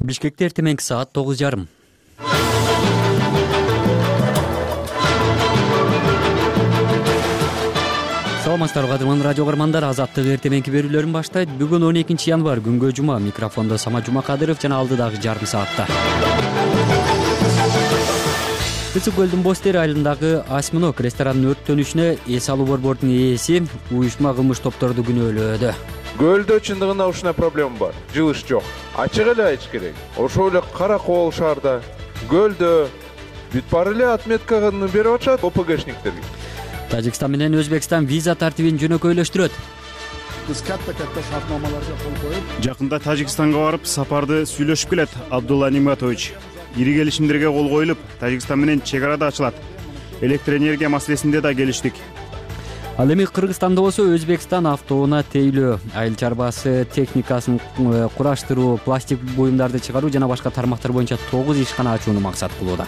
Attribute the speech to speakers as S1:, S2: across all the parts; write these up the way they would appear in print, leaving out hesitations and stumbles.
S1: Бишкекте эртең саат 9:30. Саламатсыздарбы кадырман радио көрөрмандар, Азаттык эртеңки берүүлөрүн баштайт. Бүгүн 12 январь, күнгө жума. Микрофондо Сама Жумакадыров жана алдыдагы жарым саатта. Ысык көлдүн Бостери айылындагы Осьминог ресторанынын өрттөнүшүнө эс алуу борбордунун ээси уюшма кылмыш топторду күнөөлөөдө.
S2: Көлдө чындыгында ушундай проблема бар. Жылыш жок. Ачык эле айтыш керек. Ошол эле Кара Кол шаарда көлдө бүт баары эле отметканы берип атышат ОПГшниктерге.
S1: Тажикстан менен Өзбекстан виза тартибин жөнөкөйлөштүрөт.
S3: Биз катта шартнамаларга кол коюп,
S4: Жакында Тажикстанга барып, сапарды сүйлөшүп келет Абдулла Ниматович. Ири келишимдерге кол коюлуп, Тажикстан менен чек ара да ачылат. Электр энергия маселесинде да келиштик.
S1: Ал эми Кыргызстанда болсо Өзбекстан автоунаа тейлөө, айыл чарбасы техникасын кураштыруу, пластик буюмдарды чыгаруу жана башка тармактар боюнча 9 ишкана ачууну максат кылууда.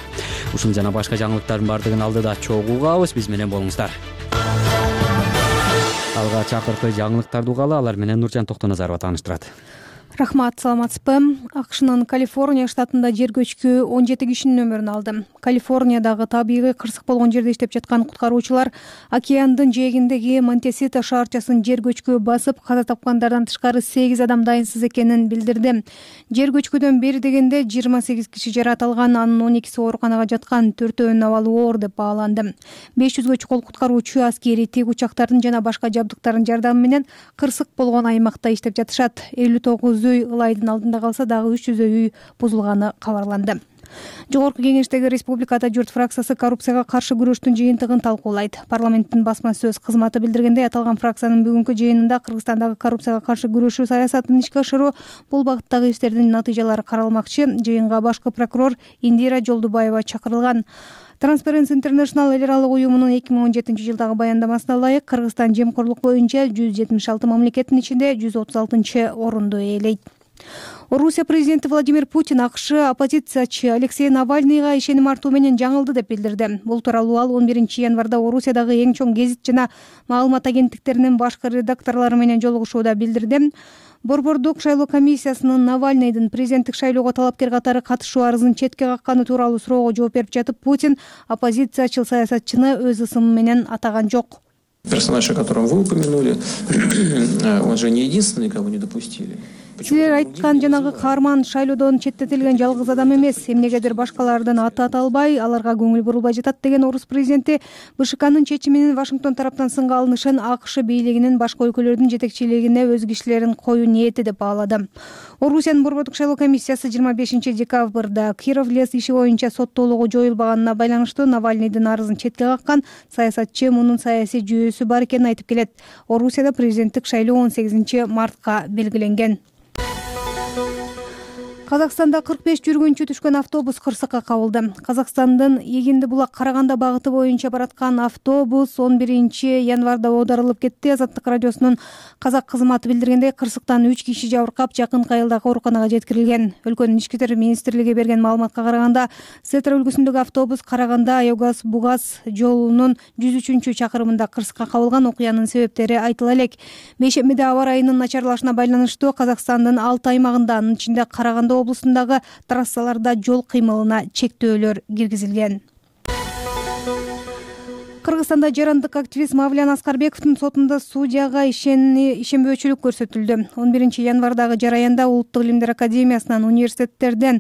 S1: Ушул жана башка жаңылыктардын бардыгын алдыда чогуу угабыз, биз менен болуңуздар. Алга чакыркы жаңылыктарды угалы, алар менен Нуржан Токтоназарова тааныштырат.
S5: Рахмат, саламатсызбы? АКШнын Калифорния штатында жер көчкү 17 кишинин өмүрүн алды. Калифорниядагы табигый кырсык болгон жерде иштеп жаткан куткаруучулар океандын жээгиндеги Монтесита шаарчасын жер көчкү басып, каза тапкандардан тышкары 8 адам дайынсыз экенин билдирди. Жер көчкүдөн бери дегенде 28 киши жаракат алган, анын 12си ооруканага жаткан, 4-өөнүн абалы оор деп бааланды. 500гө чукул куткаруучу аскери тик учактардын жана башка жабдыктардын жардамы менен кырсык болгон аймакта иштеп жатышат. 59 үй ылайдын алдында калса, дагы 300 үй бузулганы кабарланды. Жогорку кеңештеги Республикада журт фракциясы коррупцияга каршы күрөштүн жыйынтыгын талкуулайт. Парламенттин басма сөз кызматы билдиргендей, аталган фракциянын бүгүнкү жыйынында Кыргызстандагы коррупцияга каршы күрөшүү саясатын ишке ашыруу, бул багыттагы иштердин натыйжалары каралмакчы. Жыйынга башкы прокурор Индира Жолдубаева чакырылган. Transparency International эл аралык уюмунун 2017-жылдагы баяндамасына ылайык, Кыргызстан жемкорлук боюнча 176 мамлекеттин ичинде 136-орунду ээлейт. Орусия президенти Владимир Путин АКШ оппозициячы Алексей Навальныйга ишеним артуу менен жаңылды деп билдирди. Бул тууралуу ал 11 январда Орусиядагы эң чоң гезит жана маалымат агенттиктеринин башкы редакторлору менен жолугушууда билдирди. Борбордук шайлоо комиссиясынын Навальныйдын президенттик шайлоого талапкер катары катышуу арызын четке какканы тууралуу суроого жооп берип жатып, Путин оппозициячыл саясатчыны өз ысымы менен атаган жок.
S6: Персонаж, о котором вы упомянули, он же не единственный, кого не допустили.
S5: Силер айткан жанагы каарман шайлоодон четтетилген жалгыз адам эмес. Эмнегедир башкалардын аты аталбай, аларга көңүл бурулбай жатат деген орус президенти БШКнын чечими менен Вашингтон тараптан сынга алынышын АКШ бийлигинин башка өлкөлөрдүн жетекчилигине өз кишилерин коюу ниети деп баалады. Орусиянын борбордук шайлоо комиссиясы 25 декабрда Киров лес иши боюнча соттоолугу жоюлбаганына байланыштуу Навальныйдын арызын четке каккан. Саясатчы мунун саясий жүйөсү бар экенин айтып келет. Орусияда президенттик шайлоо 18 мартка белгиленген. Казакстанда 45 жүргүнчү түшкөн автобус кырсыкка кабылды. Казакстандын Эгинди булак Караганда багыты боюнча бараткан автобус 11 январда оодарылып кетти. Азаттык радиосунун казак кызматы билдиргендей, кырсыктан 3 киши жабыркап, жакын айылдагы ооруканага жеткирилген. Өлкөнүн ички иштер министрлиги берген маалыматка караганда, Сетра өлкөсүндөгү автобус Караганда Айогаз-Бугас жолунун 103 чакырымында кырсыкка кабылган. Окуянын себептери айтыла элек. Бейшембиде аба ырайынын начарлашына байланыштуу Казакстандын 6 аймагында, анын ичинде Караганда облусундагы трассаларда жол кыймылына чектөөлөр киргизилген. Кыргызстанда жарандык активист Мавлян Аскарбековдун сотунда судьяга ишенбөөчүлүк көрсөтүлдү. 11 январдагы жараянда Улуттук илимдер академиясынан, университеттерден,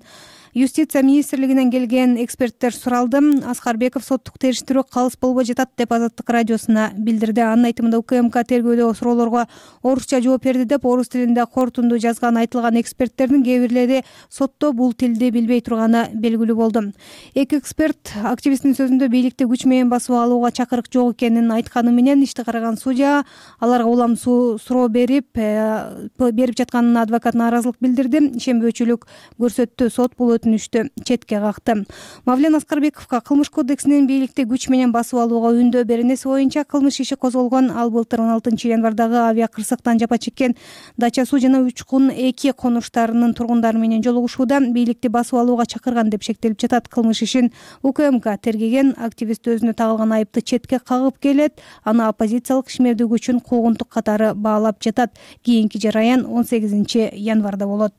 S5: Юстиция министрлигинен келген эксперттер суралды. Аскарбеков соттук териштирүү калыс болбой жатат деп Азаттык радиосуна билдирди. Анын айтымында УКМК тергөөдө суроолорго орусча жооп берди деп орус тилинде корутунду жазган айтылган эксперттердин кээ бирлери сотто бул тилди билбей турганы белгилүү болду. Эки эксперт активисттин сөзүндө бийликти күч менен басып алууга чакырык жок экенин айтканы менен, ишти караган судья аларга улам суроо берип жатканына адвокат нааразылык билдирди. Ишенбөөчүлүк көрсөттү. Сот бул өтүнүштү четке какты. Мавлян Аскарбековго кылмыш кодексинин бийликти күч менен басып алууга үндөө беренеси боюнча кылмыш иши козголгон. Ал былтыр 16 январдагы авиа кырсыктан жапа чеккен Дача Суу жана Учкун 2 конуштарынын тургундары менен жолугушууда бийликти басып алууга чакырган деп шектелип жатат. Кылмыш ишин УКМК тергеген. Активист өзүнө тагылган айыпты четке кагып келет. Аны оппозициялык ишмердик күчүн куугунтук катары баалап жатат. Кийинки жараян 18 январда болот.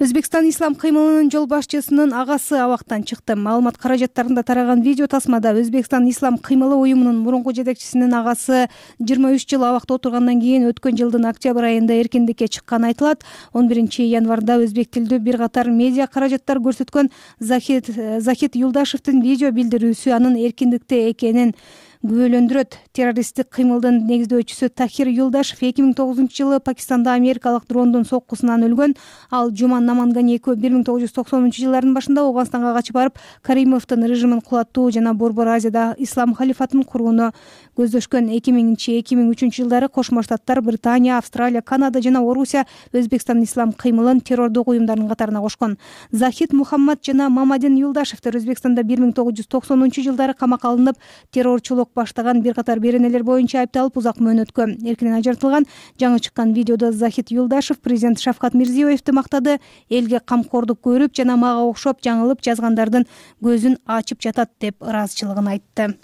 S5: Өзбекстан ислам кыймылынын жол башчысынын агасы абактан чыкты. Маалымат каражаттарында тараган видео тасмада Өзбекстан ислам кыймылы уюмунун мурунку жетекчисинин агасы 23 жыл абакта отургандан кийин өткөн жылдын октябрь айында эркиндикке чыкканы айтылат. 11 январда өзбек тилдүү бир катар медиа каражаттар көрсөткөн Захид Юлдашевдин видео билдирүүсү анын эркиндикте экенин күбөлөндүрөт. Террористтик кыймылдын негиздөөчүсү Тахир Юлдашев 2009 жылы Пакистанда америкалык дрондун соккусунан өлгөн. Ал Жуман Намангани 1990 жылдардын башында Ауганстанга качып барып, Каримовдун режимин кулаттуу жана Борбор Азияда ислам халифатын курууну көздөшкөн. 2000-2003 жылдары Кошмо Штаттар, Британия, Австралия, Канада жана Орусия Өзбекстан ислам кыймылын террордук уюмдардын катарына кошкон. Захид Мухаммад жана Мамадин Юлдашевдер Өзбекстанда 1990 жылдары камакка алынып, террорчулук баштаган бир катар беренелер боюнча айыпталып узак мөөнөткө эркинен ажыртылган. Жаңы чыккан видеодо Захид Юлдашев президент Шавкат Мирзиёевди мактады. Элге камкордук көрүп жана мага окшоп жаңылып жазгандардын көзүн ачып жатат деп ыраазычылыгын айтты.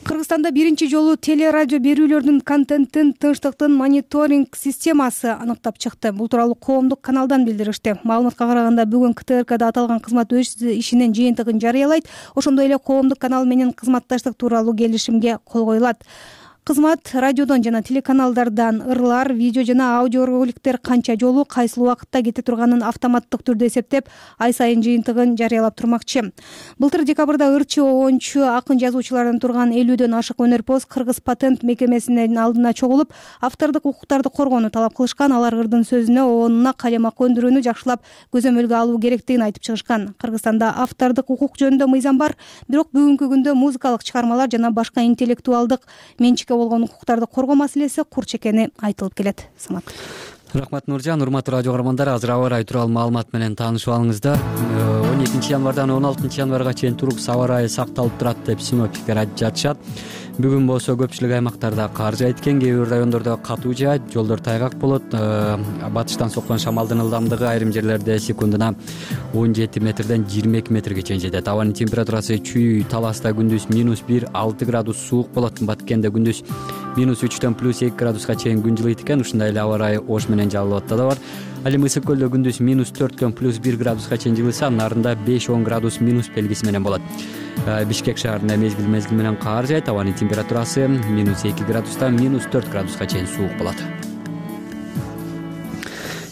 S5: Кыргызстанда биринчи жолу телерадио берүүлөрдүн контенттин тынчтыктын мониторинг системасы аныктап чыкты. Бул тууралуу коомдук каналдан билдиришти. Маалыматка караганда бүгүн КТРКда аталган кызмат өз ишинин жыйынтыгын жарыялайт. Ошондой эле коомдук канал менен кызматташтык тууралуу келишимге кол коюлат. Кызмат радиодон жана телеканалдардан ырлар, видео жана аудио роликтер канча жолу кайсыл убакытта кете турганын автоматтык түрдө эсептеп, ай сайын жыйынтыгын жарыялап турмакчы. Былтыр декабрда ырчы, оончу, акын жазуучулардан турган 50дөн ашык өнөрпоз Кыргыз патент мекемесинин алдына чогулуп, автордук укуктарды коргоону талап кылышкан. Алар ырдын сөзүнө, оонуна калемак өндүрүүнү жакшылап көзөмөлгө алуу керектигин айтып чыгышкан. Кыргызстанда автордук укук жөнүндө мыйзам бар, бирок бүгүнкү күндө музыкалык чыгармалар жана башка интеллектуалдык менчикке болгон укуктарды коргоо маселеси курч экени айтылып келет. Самат.
S1: Рахмат Нуржан. Урматтуу радио каармандар, азыр аба ырайы тууралуу маалымат менен таанышып алыңыздар. 12 январдан 16 январга чейин турук аба ырайы сакталып турат деп синоптиктер айтып жатышат. Бүгүн болсо көпчүлүк аймактарда кар жаайт экен, кээ бир райондордо катуу жаайт, жолдор тайгак болот. Батыштан соккон шамалдын ылдамдыгы айрым жерлерде секундуна 17 метрден 22 метрге чейин жетет. Абанын температурасы чүй Таласта күндүз -1, 6 градус суук болот. Баткенде күндүз -3дөн +2 градуска чейин күн жылыйт экен. Ушундай эле аба ырайы Ош менен Жалал Абадта да бар. Ал эми Ысык көлдө күндүз -4дөн +1 градуска чейин жылыса, нарында 5-10 градус минус белгиси менен болот. Бишкек шаарында мезгил менен кар жаайт. Абанын температурасы -2 градустан -4 градуска чейин суук болот.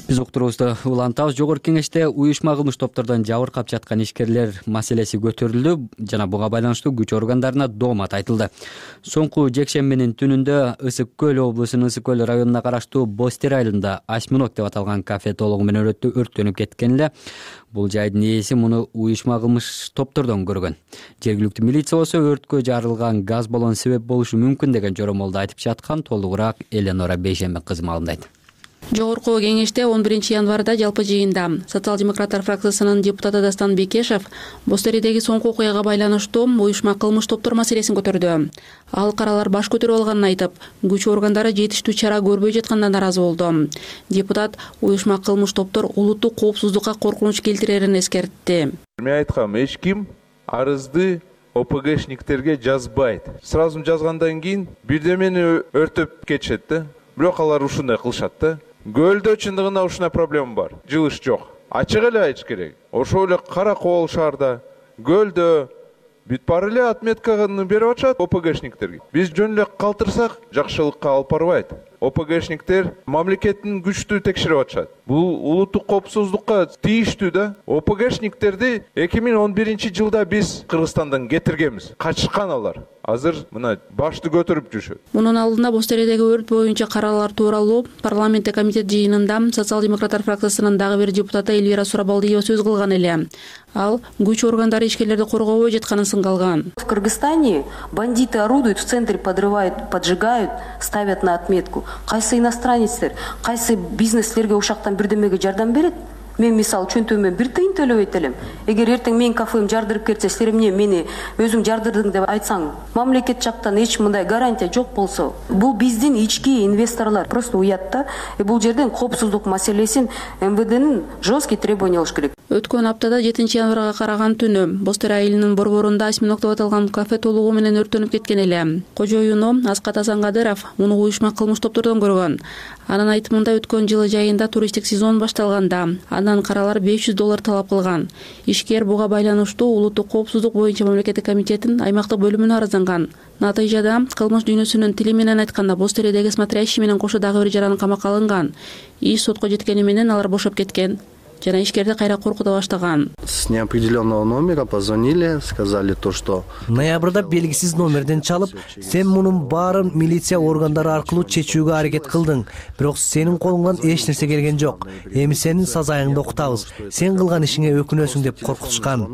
S1: Биз уктуруубузду улантабыз. Жогорку кеңеште уюшма кылмыш топтордон жабыркап жаткан ишкерлер маселеси көтөрүлдү жана буга байланыштуу күч органдарына доомат айтылды. Соңку жекшембинин түнүндө Ысык көл облусунун Ысык көл районуна караштуу Бостер айылында Осьминог деп аталган кафе толугу менен өрттөнүп кеткен эле. Бул жайдын ээси муну уюшма кылмыш топтордон көргөн. Жергиликтүү милиция болсо өрткө жарылган газ баллон себеп болушу мүмкүн деген жоромолду айтып жаткан. Толугураак Эленора Бейшембек кызы маалымдайт.
S7: Жогорку кеңеште 11 январда жалпы жыйында социал-демократтар фракциясынын депутаты Дастан Бекешев Бостеридеги соңку окуяга байланыштуу уюшма кылмыш топтор маселесин көтөрдү. Ал каралар баш көтөрүп алганын айтып, күч органдары жетиштүү чара көрбөй жаткандан наразы болду. Депутат уюшма кылмыш топтор улуттук коопсуздукка коркунуч келтирерин эскертти.
S2: Мен айткам, эч ким арызды ОПГшниктерге жазбайт. Сразу жазгандан кийин бирдемени өртөп кетишет да. Бирок алар ушундай кылышат да. Көлдө чындыгында ушундай проблема бар. Жылыш жок. Ачык эле айтыш керек. Ошол эле Кара Кол шаарда, көлдө бүт баары эле отметканы берип атышат ОПГшниктерге. Биз жөн эле калтырсак, жакшылыкка алып барбайт. ОПГшниктер мамлекеттин күчтүү текшерип атышат. Бул улуттук коопсуздукка тийиштүү да. ОПГшниктерди 2011 жылда биз Кыргызстандан кетиргенбиз. Качышкан алар. Азыр мына башты көтөрүп жүрүшөт.
S7: Мунун алдында Бостередеги өрт боюнча каралар тууралуу парламентте комитет жыйынында социал-демократтар фракциясынын дагы бир депутаты Эльвира Сурабалдиева сөз кылган эле. Ал күч органдары ишкерлерди коргобой жатканын сынгалган.
S8: В Кыргызстане бандиты орудуют в центре, подрывают, поджигают, ставят на отметку. Кайсы иностранецтер, кайсы бизнеслерге ушактан бирдемеге жардам берет? Мен мисалы чөнтөмө 1 тыйын төлөбөйт элем. Эгер эртең менин кафем жардырып кетсе, силер мени өзүң жардырдың деп айтсаң, мамлекет жактан эч мындай гарантия жок болсо, бул биздин ички инвесторлар просто уят да. Бул жерден коопсуздук маселесин МВДнын жесткий требования алыш керек.
S7: Өткөн аптада 7 январга караган түнү Бостери айылынын борборунда осьминог деп аталган кафе толугу менен өрттөнүп кеткен эле. Кожоюну Аскат Асанкадыров муну уюшма кылмыш топтордон көргөн. Анын айтымында өткөн жылы жайында туристтик сезон башталганда андан каралар $500 талап кылган. Ишкер буга байланыштуу улуттук коопсуздук боюнча мамлекеттик комитеттин аймактык бөлүмүнө арызанган. Натыйжада кылмыш дүйнөсүнүн тили менен айтканда Бостеридеги смотрящий менен кошо дагы бир жаран камакка алынган. Иш сотко жеткени менен алар бошоп кеткен жана ишкерди кайра коркута баштаган.
S9: С неопределенного номера позвонили, сказали то, что
S10: ноябрда белгисиз номерден чалып, сен мунун баарын милиция органдары аркылуу чечүүгө аракет кылдың, бирок сенин колуңдан эч нерсе келген жок. Эми сенин сазайыңды окутабыз. Сен кылган ишиңе өкүнөсүң деп коркутушкан.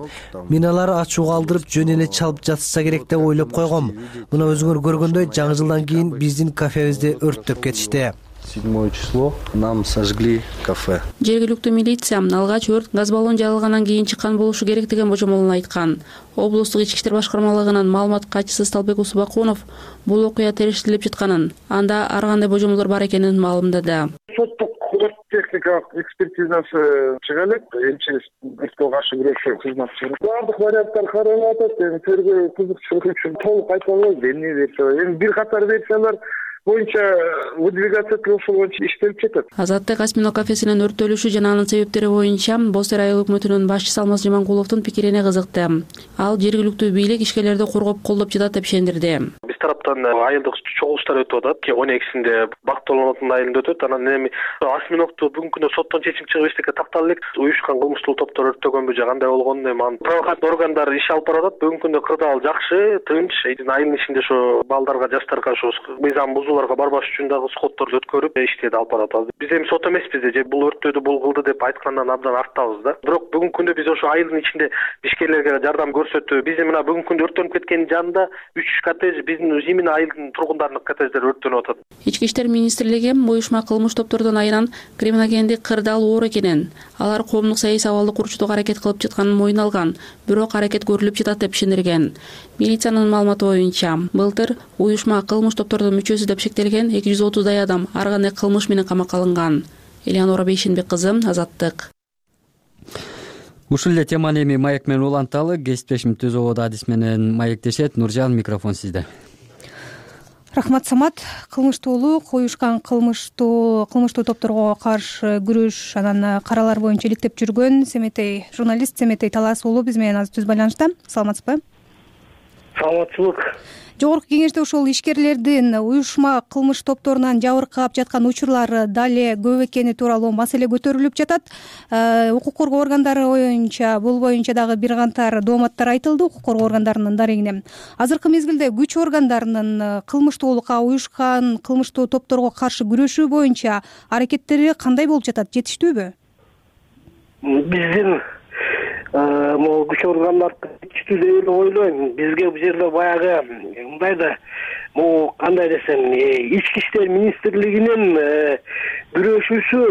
S10: Мен алар ачууга алдырып жөн эле чалып жатса керек деп ойлоп койгом. Мына өзүңөр көргөндөй жаңы жылдан кийин биздин кафебизди өрттөп кетишти.
S9: 7 число нам сожгли кафе.
S7: Жергиликтүү милиция алгач өрт газ баллон жарылгандан кийин чыккан болушу керек деген божомолун айткан. Облустук ички иштер башкармалыгынын маалымат катчысы Сталбек Усубакунов бул окуя териштирилип жатканын, анда ар кандай божомолдор бар экенин маалымдады.
S11: Соттук өрт техникалык экспертизасы чыга элек, МЧС өрткө каршы күрөшүү кызматчылары. Бардык варианттар каралып атат. Тергөө кызыкчылыгы үчүн толук айта албайбыз. Эмне версия? Эми бир катар версиялар боюнча выдвигаться ошол боюнча иштелип жатат.
S7: Азаттык осьминог кафесинин өрттөлүшү жана анын себептери боюнча Бостери айыл өкмөтүнүн башчысы Алмаз Жаманкуловдун пикирине кызыкты. Ал жергиликтүү бийлик ишкерлерди коргоп колдоп жатат деп ишендирди.
S12: Биз тараптан айылдык чогулуштар өтүп атат. 12-синде Бактолонотун айылында өтөт. Анан эми осьминогду бүгүнкү күндө соттон чечим чыгып эчтеке таптала элек. Уюшкан кылмыштуу топтор өрттөгөнбү же кандай болгонун эми анын правоохранительный органдар иш алып барат. Бүгүнкү күндө кырдаал жакшы, тынч. Айылдын ичинде ошо балдарга, жаштарга ошо мыйзам бузууларга барбаш үчүн дагы сходторду өткөрүп иштеди алып барат. Биз эми сот эмеспиз же бул өрттөдү бул кылды деп айткандан абдан артабыз да. Бирок бүгүнкү күндө биз ошо айылдын ичинде ишкерлерге жардам көрсөтүп, биз мына бүгүнкү күндө өрттөнүп кеткенин жанында 3 коттедж биздин именно айылдын тургундарынын коттедждери өрттөнүп атат.
S7: Ички иштер министрлиги уюшма кылмыш топтордон айынан криминогендик кырдаал оор экенин, алар коомдук саясий абалды курчутууга аракет кылып жатканын мойнуна алган, бирок аракет көрүлүп жатат деп ишендирген. Милициянын маалыматы боюнча былтыр уюшма кылмыш топтордун мүчөсү деп шектелген 230 адам ар кандай кылмыш менен камакка алынган. Элеонора Бейшенбек кызы, Азаттык.
S1: Ушул эле теманы эми маек менен уланталы. Кесиптешим Түз ободо адис менен маектешет. Нуржан, микрофон сизде.
S5: Рахмат, Самат. Кылмыштуулук, уюшкан кылмыштуу топторго каршы күрөш анан каралар боюнча иликтеп жүргөн Семетей журналист Семетей Талас уулу биз менен азыр түз байланышта. Саламатсызбы?
S11: Саламатчылык.
S5: Жогорку кеңеште ошол ишкерлердин уюшма кылмыш топторунан жабыркап жаткан учурлар дале көп экени тууралуу маселе көтөрүлүп жатат. Укук коргоо органдары боюнча бул боюнча дагы бир кантар дооматтар айтылды укук коргоо органдарынын дарегине. Азыркы мезгилде күч органдарынын кылмыштуулукка, уюшкан кылмыштуу топторго каршы күрөшүү боюнча аракеттери кандай болуп жатат? Жетиштүүбү?
S11: Биздин могу күч органдар жетиштүү деп ойлойм. Бизге бул жерде баягы мындай да могу кандай десем, ички иштер министрлигинин күрөшүүсү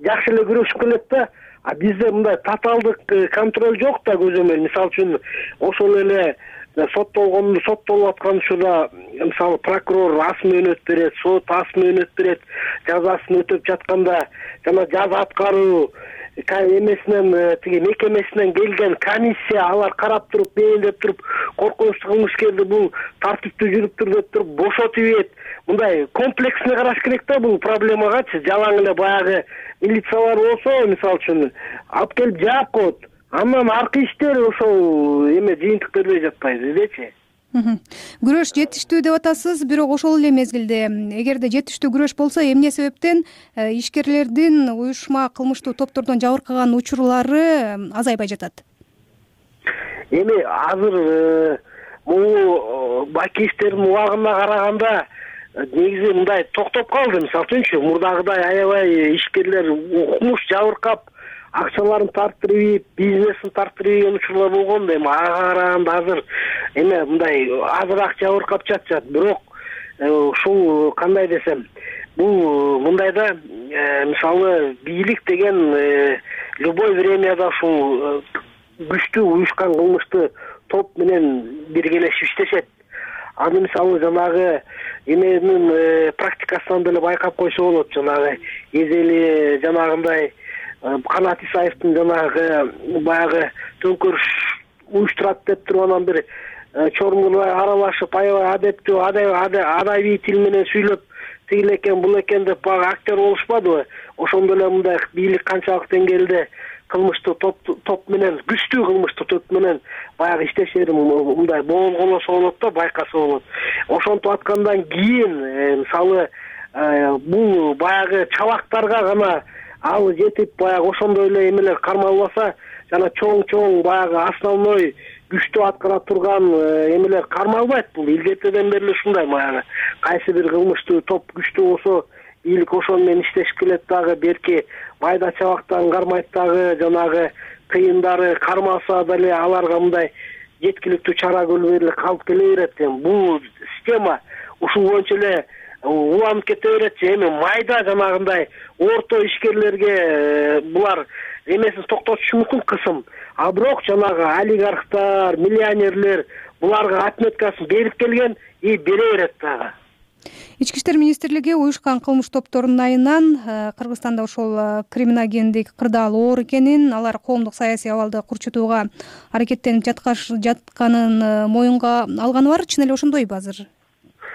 S11: жакшы эле күрөшүп келет да. А бизде мындай татаалдык контроль жок да көзөмөл. Мисалы үчүн ошол эле соттолуп аткан учурда мисалы прокурор ас мөөнөт берет, сот ас мөөнөт берет, жазасын өтөп жатканда жана жаза аткаруу эмесинен тиги мекемесинен келген комиссия алар карап туруп, бейиндеп туруп, коркунучтуу кылмышкерди бул тартиптүү жүрүптүр деп туруп бошотуп ийет. Мындай комплексный караш керек да бул проблемагачы. Жалаң эле баягы милициялар болсо, мисалы үчүн алып келип жаап коет. Андан аркы иштер ошол жыйынтык бербей жатпайбы дечи.
S5: Күрөш жетиштүү деп атасыз, бирок ошол эле мезгилде эгерде жетиштүү күрөш болсо, эмне себептен ишкерлердин уюшма кылмыштуу топтордон жабыркаган учурлары азайбай жатат?
S11: Эми азыр могу баки иштердин убагына караганда негизи мындай токтоп калды. Мисалы үчүнчү мурдагыдай аябай ишкерлер укмуш жабыркап акчаларын тарттырып, бизнесин тарттырып учурлар болгон. Эми ага караганда азыр мындай азыраак жабыркап жатышат. Бирок ушул кандай десем, бул мындайда мисалы бийлик деген любой времяда ушул күчтүү уюшкан кылмыштуу топ менен биргелешип иштешет. Аны мисалы жанагы эменин практикасынан деле байкап койсо болот. Жанагы эзели жанагындай Канат Исаевдин жанагы баягы төңкөрүш уюштурат деп туруп анан бир чоңурлар аралашып аябай адептүү адабий тил менен сүйлөп тигил экен бул экен деп баягы актер болушпадыбы? Ошондо эле мындай бийлик канчалык деңгээлде кылмыштуу топ менен, күчтүү кылмыштуу топ менен баягы иштешери мындай болгоносо болот да, байкаса болот. Ошентип аткандан кийин мисалы бул баягы чабактарга гана ал жетип баягы ошондой эле эмелер кармалбаса, жана чоң баягы основной күчтүү аткара турган эмелер кармалбайт. Бул илгертеден бери ушундай баягы кайсы бир кылмыштуу топ күчтүү болсо бийлик ошону менен иштешип келет дагы, берки майда чабактарын кармайт дагы, жанагы тыйындары кармаса деле аларга мындай жеткиликтүү чара көрүлбөй эле калып келе берет. Бул система ушул боюнча эле уланып кете берет. Эми майда жанагындай орто ишкерлерге булар эмесин токтотушу мүмкүн кысым. А бирок жанагы олигархтар, миллионерлер буларга отметкасын берип келген и бере берет дагы.
S5: Ички иштер министрлиги уюшкан кылмыш топторунун айынан Кыргызстанда ошол криминогендик кырдаал оор экенин, алар коомдук саясий абалды курчутууга аракеттенип жатканын моюнга алганы бар. Чын эле ошондойбу азыр?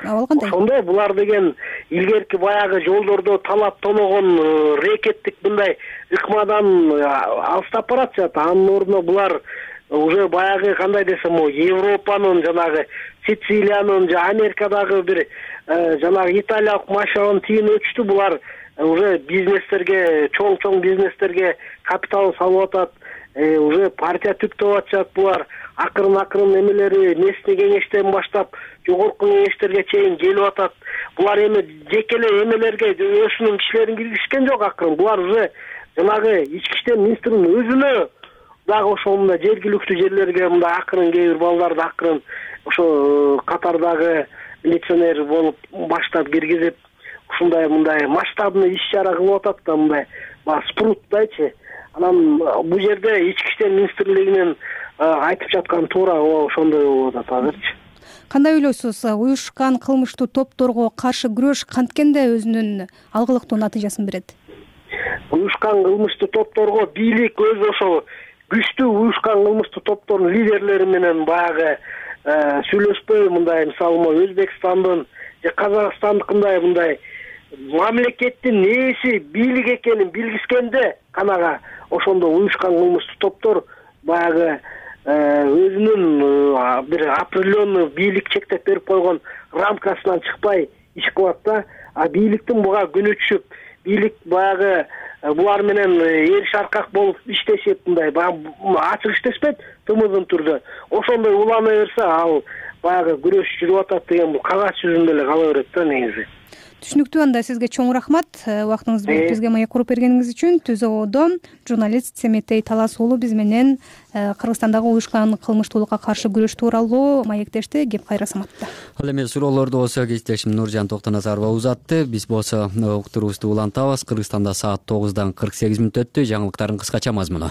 S5: Абал кандай?
S11: Ошондой. Булар деген илгерки баягы жолдордо талап тоногон рекеттик мындай ыкмадан алыстап баратышат. Анын ордуна булар уже баягы кандай десем, Европанын жанагы Сицилиянын же Америкадагы бир жанагы италиялык мафиянын тийин өчтү. Булар уже бизнестерге, чоң бизнестерге капитал салып атат, уже партия түптөп атышат. Булар акырын эмелери местный кеңештен баштап жогорку кеңештерге чейин келип атат. Булар эми жеке эле эмелерге өзүнүн кишилерин киргизишкен жок акырын. Булар уже жанагы ички иштер министринин өзүнө дагы ошол мындай жергиликтүү жерлерге мындай акырын кээ бир балдарды акырын ошо катардагы милиционер болуп баштап киргизип ушундай мындай масштабный иш-чара кылып атат да, мындай спруттайчы. Анан бул жерде ички иштер министрлигинин айтып жатканы туура ошондой болуп атат азырчы.
S5: Кандай ойлойсуз? Уюшкан кылмыштуу топторго каршы күрөш канткенде өзүнүн алгылыктуу натыйжасын берет?
S11: Уюшкан кылмыштуу топторго бийлик өзү ошол күчтүү уюшкан кылмыштуу топтордун лидерлери менен баягы сүйлөшпөй мындай мисалы Өзбекстандын же Казакстандыкындай мындай мамлекеттин нээси бийлик экенин билгискенде канага ошондо уюшкан кылмыштуу топтор баягы өзүнүн бир определенный бийлик чектеп берип койгон рамкасынан чыкпай иш кылат да. А бийликтин буга күнү түшүп, бийлик баягы булар менен эриш аркак болуп иштешип мындай ачык иштешпейт, тымыздын түрдө. Ошондой улана берсе ал баягы күрөш жүрүп атат деген бул кагаз жүзүндө эле кала берет да негизи.
S5: Түшүнүктүү. Анда сизге чоң рахмат. Убактыңызды бөлүп бизге маек куруп бергениңиз үчүн. Түз ООдо журналист Семетей Талас уулу биз менен Кыргызстандагы уюшкан кылмыштуулукка каршы күрөш тууралуу маектешти. Кеп кайра саматта.
S1: Ал эми суроолорду болсо кесиптешим Нуржан Токтоназарова узатты. Биз болсо уктуруубузду улантабыз. Кыргызстанда саат 9:48 өттү. Жаңылыктардын кыскача мазмуну.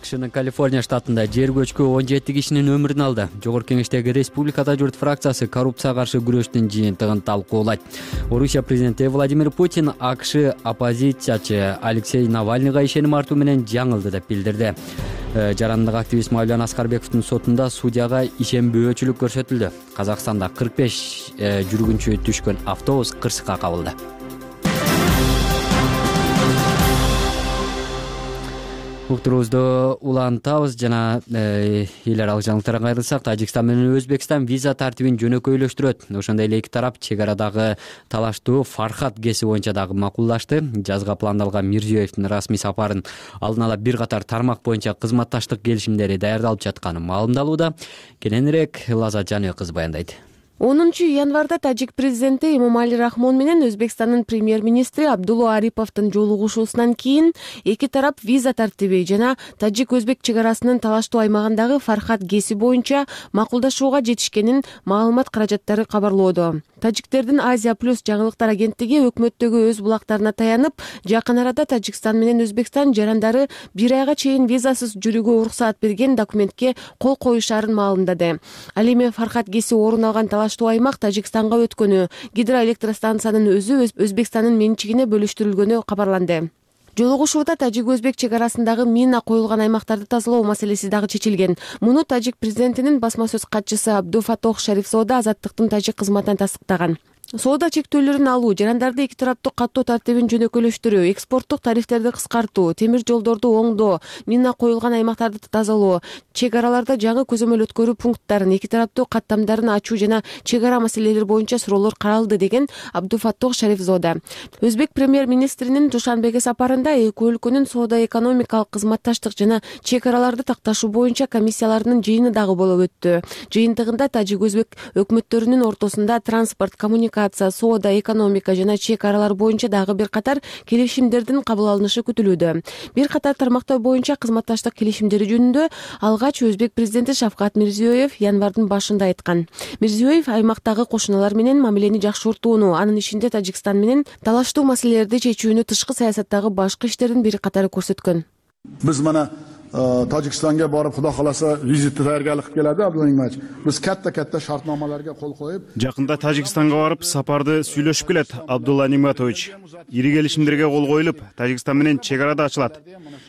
S1: AQShnын Калифорния штатында жер көчкү 17 кишинин өмүрүн алды. Жогорку кеңештеги Республикада журт фракциясы коррупцияга каршы күрөштүн жыйынтыгын талкуулайт. Орусия президенти Владимир Путин AQSh оппозициячы Алексей Навальныйга ишеним артуу менен жаңылды деп билдирди. Жарандык активист Мавлан Аскарбековдун сотунда судьяга ишенбөөчүлүк көрсөтүлдү. Казакстанда 45 жүргүнчү түшкөн автобус кырсыкка кабылды. Уктуруубузду улантабыз жана эл аралык жаңылыктарга кайрылсак, Тажикстан менен Өзбекстан виза тартибин жөнөкөйлөштүрөт. Ошондой эле эки тарап чек арадагы талаштуу Фархат ГЭСи боюнча дагы макулдашты. Жазга пландалган Мирзиёевдин расмий сапарын алдын ала бир катар тармак боюнча кызматташтык келишимдери даярдалып жатканы маалымдалууда. Кененирээк Лазат Жаныбек кызы баяндайт.
S13: 10 январда тажик президенти Эмомали Рахмон менен Өзбекстандын премьер-министри Абдулла Ариповдун жолугушуусунан кийин эки тарап виза тартиби жана тажик-өзбек чек арасынын талаштуу аймагындагы Фархат ГЭСи боюнча макулдашууга жетишкенин маалымат каражаттары кабарлоодо. Тажиктердин Азия плюс жаңылыктар агенттиги өкмөттөгү өз булактарына таянып, жакын арада Тажикстан менен Өзбекстан жарандары 1 айга чейин визасыз жүрүүгө уруксаат берген документке кол коюшаарын маалымдады. Ал эми Фархат ГЭСи орун алган талаш талаштуу аймак Тажикстанга өткөнү, гидроэлектростанциянын өзү Өзбекстандын менчигине бөлүштүрүлгөнү кабарланды. Жолугушууда тажик-өзбек чек арасындагы мина коюлган аймактарды тазалоо маселеси дагы чечилген. Муну тажик президентинин басма сөз катчысы Абдуфатох Шарифзода Азаттыктын тажик кызматынан тастыктаган. Соода чектөөлөрүн алуу, жарандарды эки тараптуу каттоо тартибин жөнөкөйлөштүрүү, экспорттук тарифтерди кыскартуу, темир жолдорду оңдоо, мина коюлган аймактарды тазалоо, чек араларда жаңы көзөмөл өткөрүү пункттарын, эки тараптуу каттамдарын ачуу жана чек ара маселелери боюнча суроолор каралды, деген Абдуфатох Шарифзода. Өзбек премьер-министринин Душанбеге сапарында эки өлкөнүн соода-экономикалык кызматташтык жана чек араларды такташуу боюнча комиссияларынын жыйыны дагы болуп өттү. Жыйынтыгында тажик-өзбек өкмөттөрүнүн ортосунда транспорт, коммуникация, соода, экономика жана чек аралар боюнча дагы бир катар келишимдердин кабыл алынышы күтүлүүдө. Бир катар тармактар боюнча кызматташтык келишимдери жөнүндө алгач Өзбек президенти Шавкат Мирзиёев январдын башында айткан. Мирзиёев аймактагы кошуналар менен мамилени жакшыртууну, анын ичинде Тажикстан менен талаштуу маселелерди чечүүнү, тышкы саясаттагы башкы иштердин бир катары көрсөткөн.
S3: Биз мана Tojikistonga borib, xudo xolasa vizitni tayyorgarlik qilib keladi Abdulla Nimatovic. Biz katta shartnomalarga qo'l qo'yib,
S4: Жакында Тажикстанга барып, сапарды сүйлөшүп келет Абдулла Ниматович. Ири келишимдерге кол коюлуп, Тажикстан менен чек арада ачылат.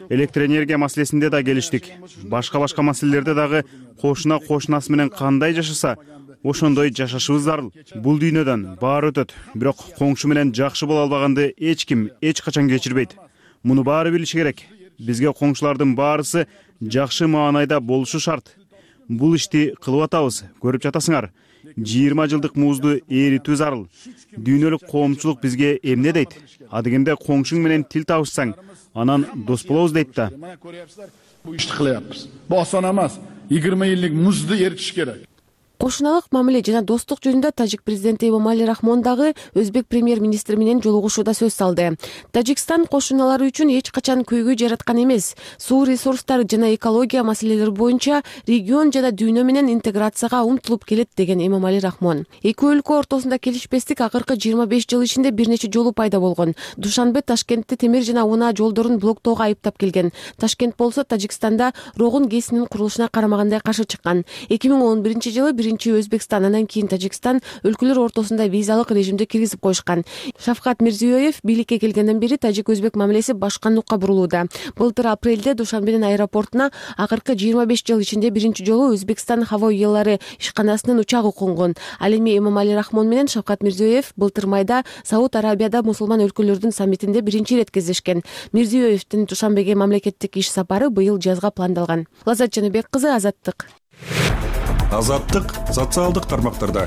S4: Электр энергия маселесинде да келиштик. Башка маселелерде дагы кошунасы менен кандай жашаса, ошондой жашашыбыз зарыл. Бул дүйнөдөн баары өтөт, бирок коңшу менен жакшы боло албаганды эч ким эч качан кечирбейт. Муну баары билиши керек. Бизге коңшулардын баарысы жакшы маанайда болушу шарт. Бул ишти кылып атабыз, көрүп жатасыңар. 20 жылдык музду эритүү зарыл. Дүйнөлүк коомчулук бизге эмне дейт? Адегенде коңшуң менен тил табышсаң, анан дос болобуз дейт да.
S3: Bu ishni qilyapmiz. Bu oson emas. 20 yillik muzni eritish kerak.
S13: Кошуналык мамиле жана достук жөнүндө тажик президенти Эмомали Рахмон дагы өзбек премьер-министри менен жолугушууда сөз салды. Тажикстан кошуналары үчүн эч качан көйгөй жараткан эмес. Суу ресурстары жана экология маселелери боюнча регион жана дүйнө менен интеграцияга умтулуп келет, деген Эмомали Рахмон. Эки өлкө ортосунда келишпестик акыркы 25 жыл ичинде бир нече жолу пайда болгон. Душанбе Ташкентти темир жана унаа жолдорун блоктоого айыптап келген. Ташкент болсо Тажикстанда Рогун ГЭСинин курулушуна карамагандай каршы чыккан. 2011-жылы Өзбекстан, анан кийин Тажикстан өлкөлөр ортосунда визалык режимди киргизип коюшкан. Шавкат Мирзиёев бийликке келгенден бери тажик-өзбек мамилеси башка нукка бурулууда. Былтыр апрелде Душанбенин аэропортуна акыркы 25 жыл ичинде биринчи жолу Өзбекстан Хаво Уялары ишканасынын учагы конгон. Ал эми Эмомали Рахмон менен Шавкат Мирзиёев былтыр майда Сауд Арабияда мусулман өлкөлөрдүн саммитинде биринчи ирет кездешкен. Мирзиёевдин Душанбеге мамлекеттик иш сапары быйыл жазга пландалган. Лаззат Жаныбек кызы, Азаттык.
S14: Азаттык социалдык тармактарда.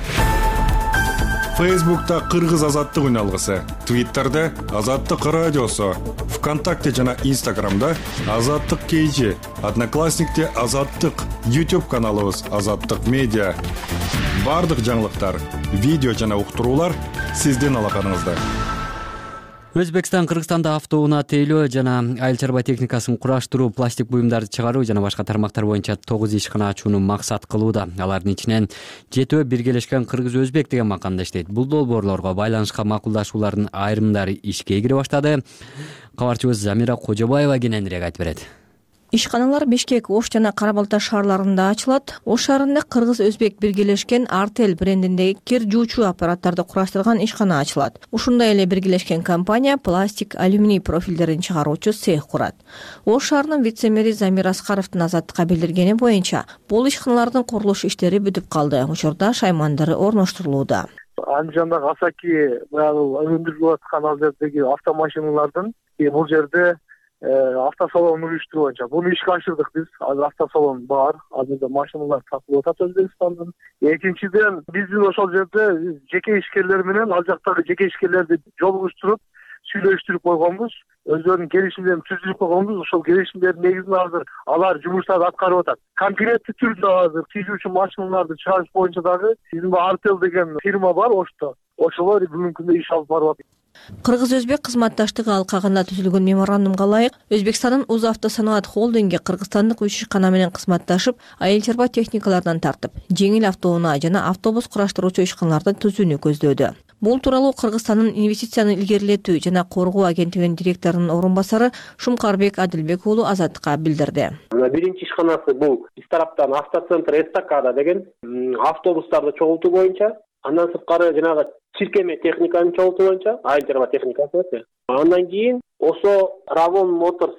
S14: Фейсбукта Кыргыз азаттык үналгысы, Твиттерде Азаттык радиосу, ВКонтакте жана Инстаграмда Азаттык KG, Одноклассникте Азаттык, YouTube каналыбыз Азаттык медиа. Бардык жаңылыктар, видео жана уктуруулар сиздин алаканыңызда.
S1: Өзбекстан Кыргызстанда автоунаа тейлөө жана айыл чарба техникасын кураштыруу, пластик буюмдарды чыгаруу жана башка тармактар боюнча 9 ишкана ачууну максат кылууда. Алардын ичинен 7 биргелешкен кыргыз-өзбек деген маканда иштейт. Бул долбоорлорго байланышка макулдашуулардын айрымдары ишке кире баштады. Кабарчыбыз Замира Кожобаева кененирээк айтып берет.
S15: Ишканалар Бишкек, Ош жана Кара-Балта шаарларында ачылат. Ош шаарында Кыргыз-Өзбек биргелешкен Артел брендиндеги кир жуучу аппараттарды кураштырган ишкана ачылат. Ушундай эле биргелешкен компания пластик, алюминий профилдерин чыгаруучу цех курат. Ош шаарынын вице-мэри Замир Аскаровдун Азаттыкка билдиргени боюнча, бул ишканалардын курулуш иштери бүтүп калды. Учурда шаймандары орноштурулууда.
S12: Андижандагы Асаки өндүрүлүп аткан ал жердеги автомашиналардын бул жерде автосалон уюштуруу боюнча буну ишке ашырдык биз. Азыр автосалон бар, азырда машиналар сатылып атат Өзбекстандын. Экинчиден биздин ошол жерде жеке ишкерлер менен ал жактагы жеке ишкерлерди жолугуштуруп, сүйлөштүрүп койгонбуз. Өздөрүнүн келишимдерин түзүп койгонбуз. Ошол келишимдердин негизинде азыр алар жумуштарды аткарып атат. Конкреттүү түрдө азыр тийжүүчү машиналарды чыгарыш боюнча дагы биздин Артел деген фирма бар Ошто. Ошолор бүгүнкү күндө иш алып барып атат.
S15: Кыргыз-өзбек кызматташтыгы алкагында түзүлгөн меморандумга ылайык Өзбекстандын Узавтосаноат холдинги кыргызстандык 3 ишкана менен кызматташып, айыл чарба техникалардан тартып, жеңил автоунаа жана автобус кураштыруучу ишканаларды түзүүнү көздөөдө. Бул тууралуу Кыргызстандын инвестицияны илгерилетүү жана коргоо агенттигинин директорунун орун басары Шумкарбек Адилбек уулу Азаттыкка билдирди.
S11: Биринчи ишканасы бул биз тараптан автоцентр Эстакада деген автобустарды чогултуу боюнча, андан сырткары жанагы чиркеме техниканы чогултуу боюнча, айыл чарба техникасы. Андан кийин ошо Равон Моторс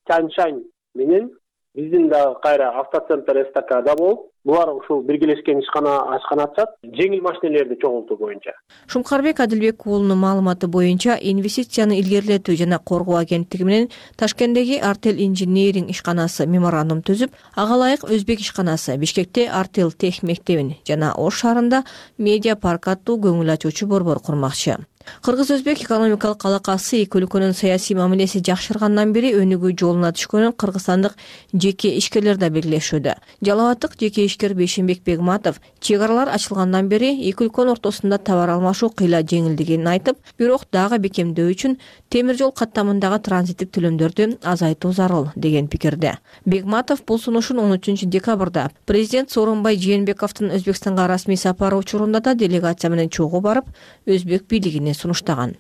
S11: Чаншань менен биздин да кайра автоцентр Эстакада болуп, булар ушул биргелешкен ишкана ачат, жеңил машинелерди чогултуу боюнча.
S15: Шумкарбек Адилбек уулунун маалыматы боюнча, инвестицияны илгерилетүү жана коргоо агенттиги менен Ташкенттеги Артел инжиниринг ишканасы меморандум түзүп, ага ылайык Өзбек ишканасы Бишкекте Артел тех мектебин жана Ош шаарында Медиа парк аттуу көңүл ачуучу борбор курмакчы. Кыргыз-өзбек экономикалык алакасы эки өлкөнүн саясий мамилеси жакшыргандан бери өнүгүү жолуна түшкөнүн кыргызстандык жеке ишкерлер да белгилешүүдө. Жалал абаддык жеке ишкер Бейшенбек Бегматов чек аралар ачылгандан бери эки өлкөнүн ортосунда товар алмашуу кыйла жеңилдигин айтып, бирок дагы бекемдөө үчүн темир жол каттамындагы транзиттик төлөмдөрдү азайтуу зарыл деген пикирде. Бегматов бул сунушун 13 декабрда президент Сооронбай Жээнбековдун Өзбекстанга расмий сапары учурунда да делегация менен чогуу барып, өзбек бийлигине сунуштаган.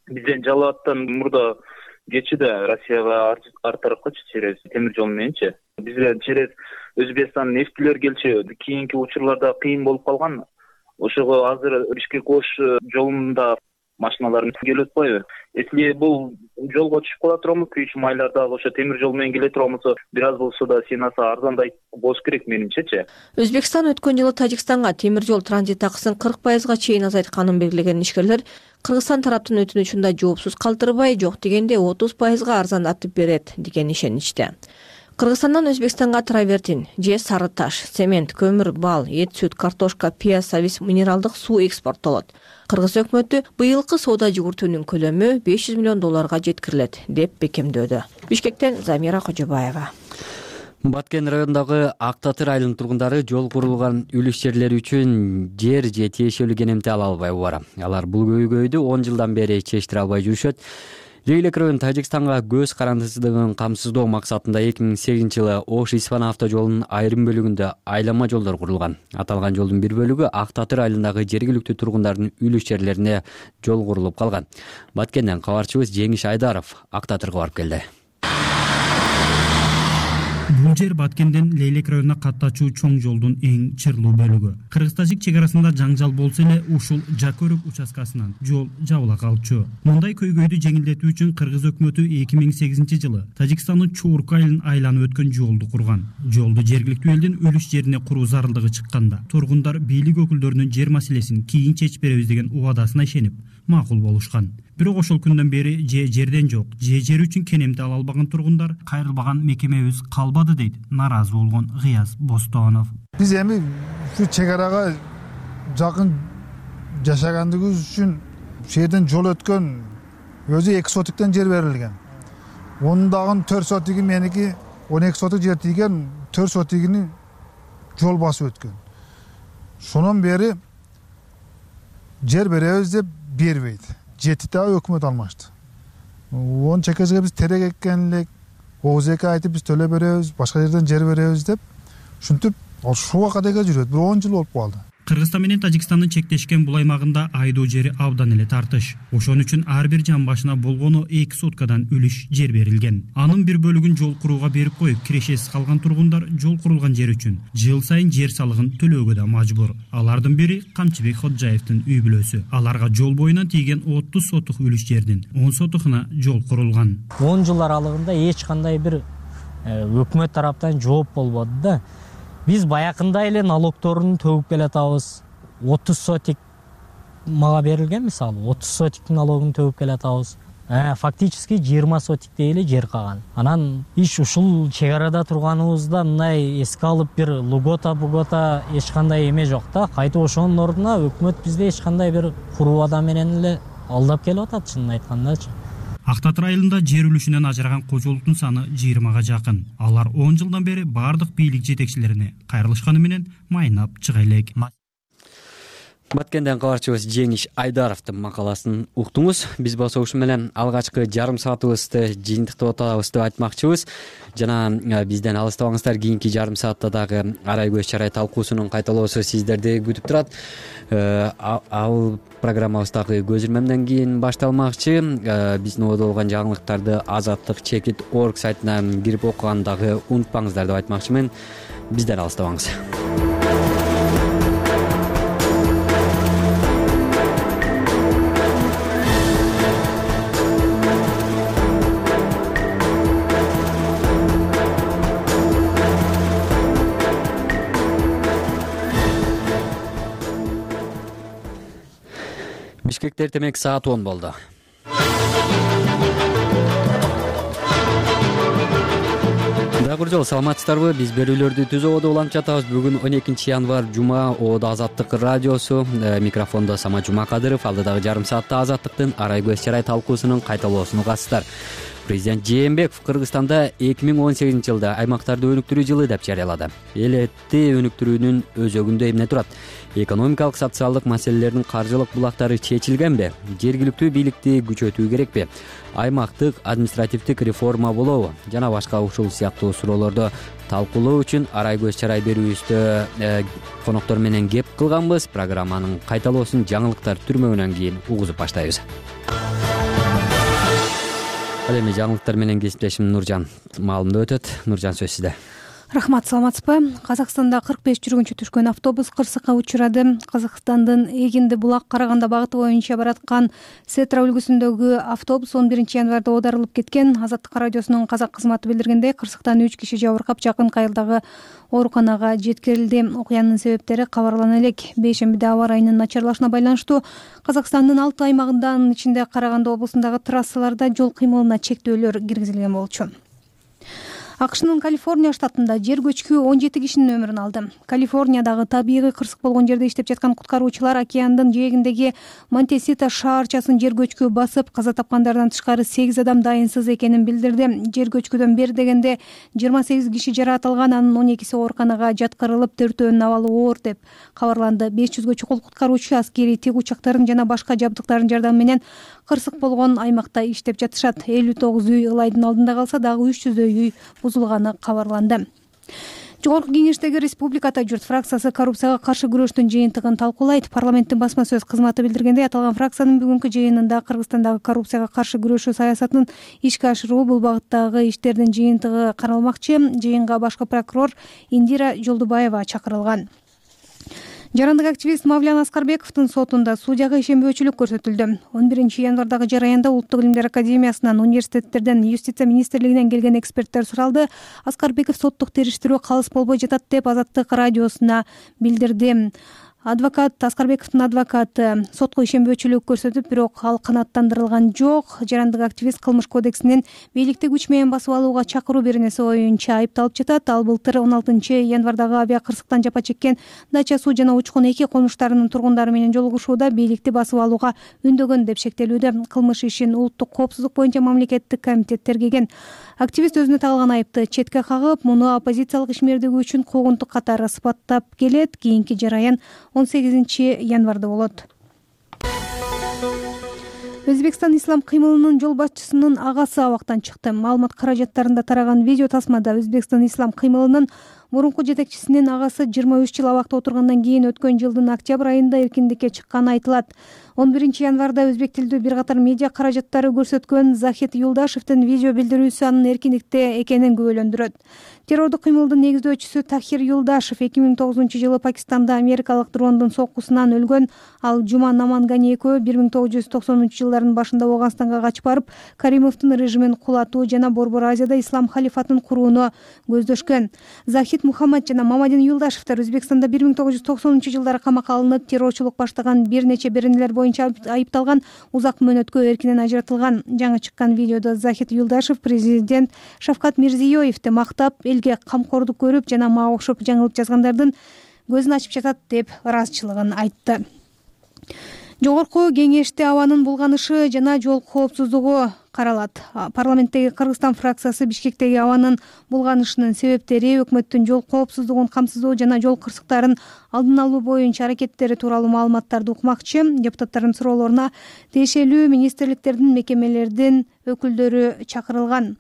S16: Бизден Жалал абадтан мурда кечиде Россияга арт тарапкачы через темир жол мененчи. Бизге через Өзбекстан нефтилер келчү, кийинки учурларда кыйын болуп калган. Ошого азыр Бишкек-Ош жолунда машиналар келип атпайбы? Если бул жолго түшүп кала турамыз, 3 айларда ошо темир жол менен келе турамыз, бир аз болсо да сенаса арзандай болуш керек менимчечи.
S15: Өзбекстан өткөн жылы Тажикстанга темир жол транзит акысын 40% чейин азайтканын белгилеген ишкерлер Кыргызстан тараптын өтүнүчүн да жоопсуз калтырбай, жок дегенде 30% арзандатып берет деген ишеничте. Кыргызстандан Өзбекстанга травертин, же сары таш, цемент, көмүр, бал, эт, сүт, картошка, пияз, сабиз, минералдык суу экспорттолот. Кыргыз өкмөтү быйылкы соода жүгүртүүнүн көлөмү $500 миллион жеткирилет деп бекемдөөдө. Бишкектен Замира Кожобаева.
S1: Баткен районундагы Ак Татыр айылынын тургундары жол курулган үлүш жерлери үчүн жер же тиешелүү кенемти ала албай бара. Алар бул көйгөйдү 10 жылдан бери чечтире албай жүрүшөт. Лейлек району Тажикстанга көз карандысыздыгын камсыздоо максатында 2008-жылы Ош-Исфан автожолунун айрым бөлүгүндө айлама жолдор курулган. Аталган жолдун бир бөлүгү Ак Татыр айылындагы жергиликтүү тургундардын үлүш жерлерине жол курулуп калган. Баткенден кабарчыбыз Жеңиш Айдаров Ак Татырга барып келди.
S17: Бул жер Баткенден Лейлек районуна каттачуу чоң жолдун эң чырлуу бөлүгү. Кыргыз-тажик чек арасында жаңжал болсо эле ушул Жакөрөк участкасынан жол жабыла калчу. Мындай көйгөйдү жеңилдетүү үчүн Кыргыз өкмөтү 2008-жылы Тажикстандын Чуурк айылын айланып өткөн жолду курган. Жолду жергиликтүү элдин үлүш жерине куруу зарылдыгы чыкканда, тургундар бийлик өкүлдөрүнүн жер маселесин кийин чечип беребиз деген убадасына ишенип, макул болушкан. Бирок ошол күндөн бери же жерден жок, же жер үчүн кенемти ала албаган тургундар кайрылбаган мекемебиз калбады дейт наразы болгон Гыяз Бостонов.
S18: Биз эми ушу чек арага жакын жашагандыгыбыз үчүн жерден жол өткөн өзү 2 сотиктен жер берилген. Онун дагы 4 сотиги меники, 12 сотик жер тийген, 4 сотигини жол басып өткөн. Шонон бери жер беребиз деп бербейт. Жетите өкмөт алмашты. Он чекежге биз терек эккен элек, ОЗК айтып биз төлөп беребиз, башка жерден жер беребиз деп, ушинтип ушуга кадайга жүрөт. Бир 10 жыл болуп калды.
S17: Кыргызстан менен Тажикстандын чектешкен бул аймагында айдоо жери абдан эле тартыш. Ошон үчүн ар бир жан башына болгону 2 соткадан үлүш жер берилген. Анын бир бөлүгүн жол курууга берип коюп, кирешесиз калган тургундар жол курулган жер үчүн жыл сайын жер салыгын төлөөгө да мажбур. Алардын бири Камчыбек Ходжаевдин үй бүлөсү. Аларга жол боюнан тийген 30 сотук үлүш жердин 10 сотухуна жол курулган.
S19: 10 жыл аралыгында эч кандай бир өкмөт тараптан жооп болбоду да. Биз баякында эле налогторун төгүп келатабыз. 30 сотик мага берилген, мисалы 30 сотик налогун төгүп келатабыз. Фактически 20 сотиктей эле жер калган. Анан иш ушул чек арада турганыбызда мындай эске алып бир бугота эч кандай эме жок да. Кайтып ошонун ордуна өкмөт бизде эч кандай бир куруу адам менен эле алдап келип атат, чынын айткандачы.
S17: Ак Татыр айылында жер үлүшүнөн ажыраган кожолуктун саны 20га жакын. Алар 10 жылдан бери бардык бийлик жетекчилерине кайрылышканы менен майнап чыга элек.
S1: Баткенден кабарчыбыз Жеңиш Айдаровдун макаласын уктуңуз. Биз болсо ушу менен алгачкы жарым саатыбызды жыйынтыктап атабыз деп айтмакчыбыз. Жана бизден алыстабаңыздар, кийинки жарым саатта дагы арай көз чарай талкуусунун кайталоосу сиздерди күтүп турат. Ал программабыз дагы көз ирмемден кийин башталмакчы. Биздин ободо болгон жаңылыктарды azatlyk.org сайтына кирип окуганды дагы унутпаңыздар деп айтмакчымын. Бизден алыстабаңыз. Бишкекте эртемек саат 10 болду. Дагы жол саламатсыздарбы? Биз берүүлөрдү түз ободо улантып жатабыз. Бүгүн 12 январь жума, ободо Азаттык радиосу. Микрофондо Сама Жумакадыров, алдыдагы жарым саатта Азаттыктын арай көз чарай талкуусунун кайталоосуна катысыздар. Президент Жээнбеков Кыргызстанда 2018 жылда аймактарды өнүктүрүү жылы деп жарыялады. Элетти өнүктүрүүнүн өзөгүндө эмне турат? Экономикалык, социалдык маселелердин каржылык булактары чечилгенби? Жергиликтүү бийликти күчөтүү керекпи? Аймактык административдик реформа болобу? Жана башка ушул сыяктуу суроолорду талкуулоо үчүн арай көз чарай берүүбүздө коноктор менен кеп кылганбыз. Программанын кайталоосун жаңылыктар түрмөгүнөн кийин угузуп баштайбыз. Ал эми жаңылыктар менен кесиптешим Нуржан маалымдап өтөт. Нуржан, сөз сизде.
S5: Рахмат, саламатсызбы? Казакстанда 45 жүргүнчү түшкөн автобус кырсыкка учурады. Казакстандын Эгинди булак Караганда багыты боюнча бараткан Сетра үлгүсүндөгү автобус 11 январда оодарылып кеткен. Азаттык радиосунун казак кызматы билдиргендей, кырсыктан 3 киши жабыркап, жакын кайрдагы ооруканага жеткирилди. Окуянын себептери кабарлана элек. Бейшембиде аба ырайынын начарлашына байланыштуу Казакстандын 6 аймагында, анын ичинде Караганда облусундагы трассаларда жол кыймылына чектөөлөр киргизилген болчу. АКШнын Калифорния штатында жер көчкү 17 кишинин өмүрүн алды. Калифорниядагы табигый кырсык болгон жерде иштеп жаткан куткаруучулар океандын жээгиндеги Монтесита шаарчасын жер көчкү басып, каза тапкандардан тышкары 8 адам дайынсыз экенин билдирди. Жер көчкүдөн бери дегенде 28 киши жаратылган, анын 12си ооруканага жаткырылып, 4-өөнүн абалы оор деп кабарланды. 500гө чукул куткаруучу аскерий тик учактарын жана башка жабдыктардын жардамы менен кырсык болгон аймакта иштеп жатышат. 59 үй ылайдын алдында калса, дагы 300 үй бузулганы кабарланды. Жогорку кеңештеги Республиката журт фракциясы коррупцияга каршы күрөштүн жыйынтыгын талкуулайт. Парламенттин басма сөз кызматы билдиргендей, аталган фракциянын бүгүнкү жыйынында Кыргызстандагы коррупцияга каршы күрөшүү саясатынын ишке ашыруу, бул багыттагы иштердин жыйынтыгы каралмакчы. Жыйынга башкы прокурор Индира Жолдубаева чакырылган. Жарандык активист Мавлян Аскарбековдун сотунда судьяга ишенбөөчүлүк көрсөтүлдү. 11 январдагы жараянда Улуттук илимдер академиясынан, университеттерден, юстиция министрлигинен келген эксперттер суралды. Аскарбеков соттук териштирүү калыс болбой жатат деп Азаттык радиосуна билдирди. Аскарбековдун адвокаты сотко ишенбөөчүлүк көрсөтүп, бирок ал канааттандырылган жок. Жарандык активист кылмыш кодексинин бийликти күч менен басып алууга чакыруу беренеси боюнча айыпталып жатат. Ал былтыр 16 январдагы авиа кырсыктан жапа чеккен Дача суу жана Учкун 2 конуштарынын тургундары менен жолугушууда бийликти басып алууга үндөгөн деп шектелүүдө. Кылмыш ишин улуттук коопсуздук боюнча мамлекеттик комитет тергеген. Активист өзүнө тагылган айыпты четке кагып, муну оппозициялык ишмердиги үчүн куугунтук катары сыпаттап келет. Кийинки жараян 18 январда болот. Өзбекстан ислам кыймылынын жол башчысынын агасы абактан чыкты. Маалымат каражаттарында тараган видео тасмада Өзбекстан ислам кыймылынын мурунку жетекчисинин агасы 23 жыл абакта отургандан кийин өткөн жылдын октябрь айында эркиндикке чыкканы айтылат. 11 январда өзбек тилдүү бир катар медиа каражаттары көрсөткөн Захид Юлдашевдин видео билдирүүсү анын эркиндикте экенин күбөлөндүрөт. Террордук кыймылдын негиздөөчүсү Тахир Юлдашев 2009 жылы Пакистанда америкалык дрондун соккусунан өлгөн. Ал Жума Намангани экөө 1990 жылдардын башында Ооганстанга качып барып, Каримовдун режимин кулатуу жана Борбор Азияда ислам халифатын курууну көздөшкөн. Захид Мухаммад жана Мамадин Юлдашевдер Өзбекстанда 1990 жылдары камакка алынып, террорчулук баштаган бир нече беренелер боюнча айыпталган, узак мөөнөткө эркинен ажыратылган. Жаңы чыккан видеодо Захид Юлдашев президент Шавкат Мирзиёевди мактап, элге камкордук көрүп жана мага окшоп жаңылык жазгандардын көзүн ачып жатат деп ыраазычылыгын айтты. Жогорку кеңеште абанын булганышы жана жол коопсуздугу каралат. Парламенттеги Кыргызстан фракциясы Бишкектеги абанын булганышынын себептери, өкмөттүн жол коопсуздугун камсыздоо жана жол кырсыктарын алдын алуу боюнча аракеттери тууралуу маалыматтарды укмакчы. Депутаттардын суроолоруна тиешелүү министрликтердин, мекемелердин өкүлдөрү чакырылган.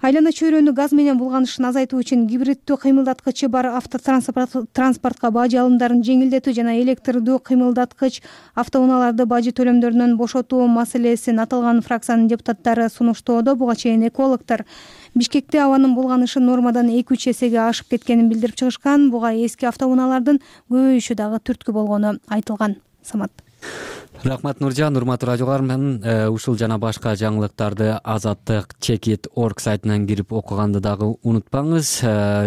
S5: Айлана чөйрөнү газ менен булганышын азайтуу үчүн гибриддүү кыймылдаткычы бар автотранспортко бажы алымдарын жеңилдетүү жана электрлдүү кыймылдаткыч автоунааларды бажы төлөмдөрүнөн бошотуу маселесин аталган фракциянын депутаттары сунуштоодо. Буга чейин экологдор Бишкекте абанын булганышы нормадан 2-3 эсеге ашып кеткенин билдирип чыгышкан. Буга эски автоунаалардын көбөйүшү дагы түрткү болгону айтылган. Самат.
S1: Рахмат Нуржан, урматтуу радио каарман, ушул жана башка жаңылыктарды Азаттык Чекит.org сайтынан кирип окуганды дагы унутпаңыз.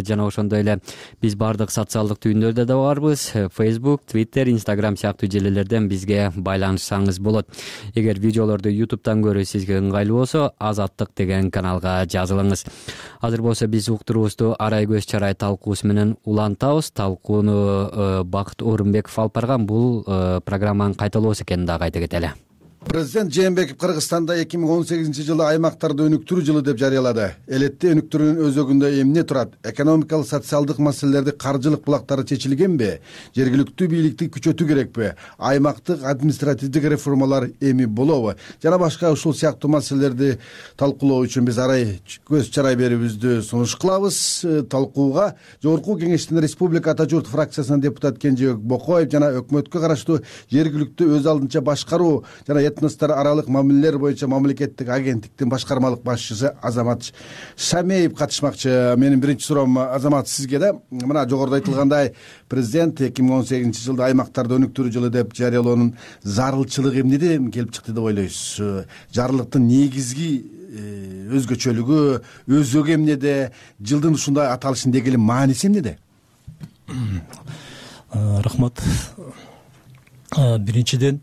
S1: Жана ошондой эле биз бардык социалдык түйүндөрдө да барбыз. Facebook, Twitter, Instagram сыяктуу желелерден бизге байланышсаңыз болот. Эгер видеолорду YouTube'дан көрүү сизге ыңгайлуу болсо, Азаттык деген каналга жазылыңыз. Азыр болсо биз уктуруубузду арай көз чарай талкуусу менен улантабыз. Талкууну Бакыт Орунбеков алып барган. Бул программанын кайталоосу экенин дагы айта кетели.
S20: Президент Жээнбеков Кыргызстанда 2018-жылы аймактарды өнүктүрүү жылы деп жарыялады. Элетте өнүктүрүүнүн өзөгүндө эмне турат? Экономикалык, социалдык маселелерди каржылык булактары чечилгенби? Жергиликтүү бийликти күчөтүү керекпи? Аймактык административдик реформалар эми болобу? Жана башка ушул сыяктуу маселелерди талкуулоо үчүн биз арай көз чарай берүүбүздү сунуш кылабыз. Талкууга Жогорку Кеңештин Республика Ата журт фракциясынын депутаты Кенжебек Бокоев жана өкмөткө караштуу жергиликтүү өз алдынча башкаруу жана этностор аралык мамилелер боюнча мамлекеттик агенттиктин башкармалык башчысы Азамат Шамеев катышмакчы. Менин биринчи суроом Азамат сизге да. Мына жогоруда айтылгандай, президент 2018-жылды аймактарды өнүктүрүү жылы деп жарыялоонун зарылчылыгы эмнеден келип чыкты деп ойлойсуз? Жарлыктын негизги өзгөчөлүгү, өзөгү эмнеде? Жылдын ушундай аталышын дегеле мааниси эмнеде?
S21: Рахмат. Биринчиден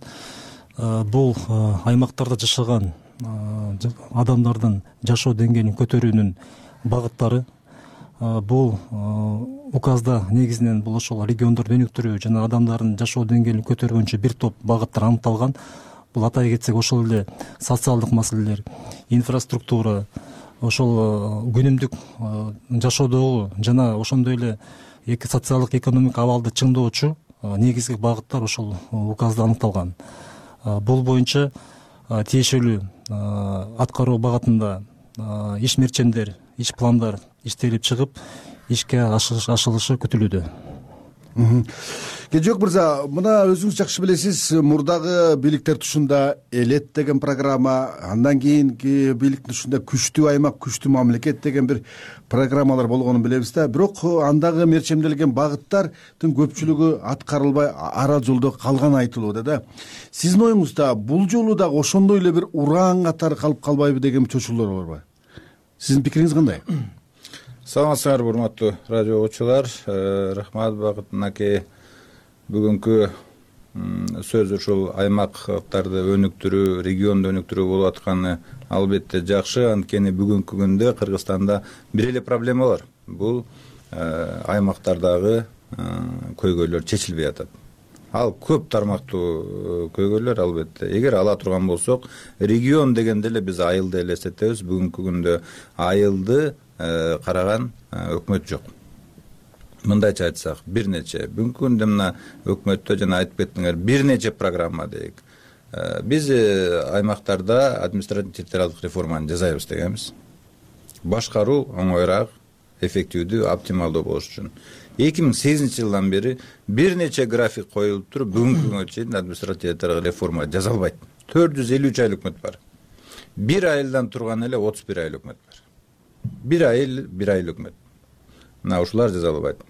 S21: бул аймактарда жашаган адамдардын жашоо деңгээлин көтөрүүнүн багыттары. Бул указда негизинен бул ошол региондорду өнүктүрүү жана адамдардын жашоо деңгээлин көтөрүү боюнча бир топ багыттар аныкталган. Бул атай кетсек ошол эле социалдык маселелер, инфраструктура, ошол күнүмдүк жашоодогу жана ошондой эле социалдык экономикалык абалды чыңдоочу негизги багыттар ошол указда аныкталган. Бул боюнча тиешелүү аткаруу багытында ишмерчендер, иш пландар иштелип чыгып, ишке ашырылышы күтүлүүдө.
S20: Кенжебек мырза, мына өзүңүз жакшы билесиз, мурдагы бийликтер тушунда элет деген программа, андан кийинки бийликтин тушунда күчтүү аймак, күчтүү мамлекет деген бир программалар болгонун билебиз да. Бирок андагы мерчемделген багыттардын көпчүлүгү аткарылбай ара жолдо калган айтылууда да. Сиздин оюңузда бул жолу дагы ошондой эле бир ураан катары калып калбайбы деген чочулдар барбы? Сиздин пикириңиз кандай?
S22: Саламатсыңарбы, урматтуу радио окуучулар. Рахмат Бакыт аке. Бүгүнкү сөз ушул аймактарды өнүктүрүү, регионду өнүктүрүү болуп атканы албетте жакшы. Анткени бүгүнкү күндө Кыргызстанда бир эле проблема бар. Бул аймактардагы көйгөйлөр чечилбей атат. Ал көп тармактуу көйгөйлөр албетте. Эгер ала турган болсок, регион дегенде эле биз айылды элестетебиз. Бүгүнкү күндө айылды караган өкмөт жок. Мындайча айтсак, бир нече бүгүнкү күндө мына өкмөттө жана айтып кеттиңер, бир нече программа дейик. Биз аймактарда административдик реформаны жасайбыз дегенбиз. Башкаруу оңоюраак, эффективдүү, оптималдуу болуш үчүн. 2008-жылдан бери бир нече график коюлуп туруп, бүгүнкү күнгө чейин административдик реформа жасалбайт. 453 ай өкмөт бар. Бир айылдан турган эле 31 ай өкмөт бар. Бир айыл өкмөт. Мына ушулар жасалбайт.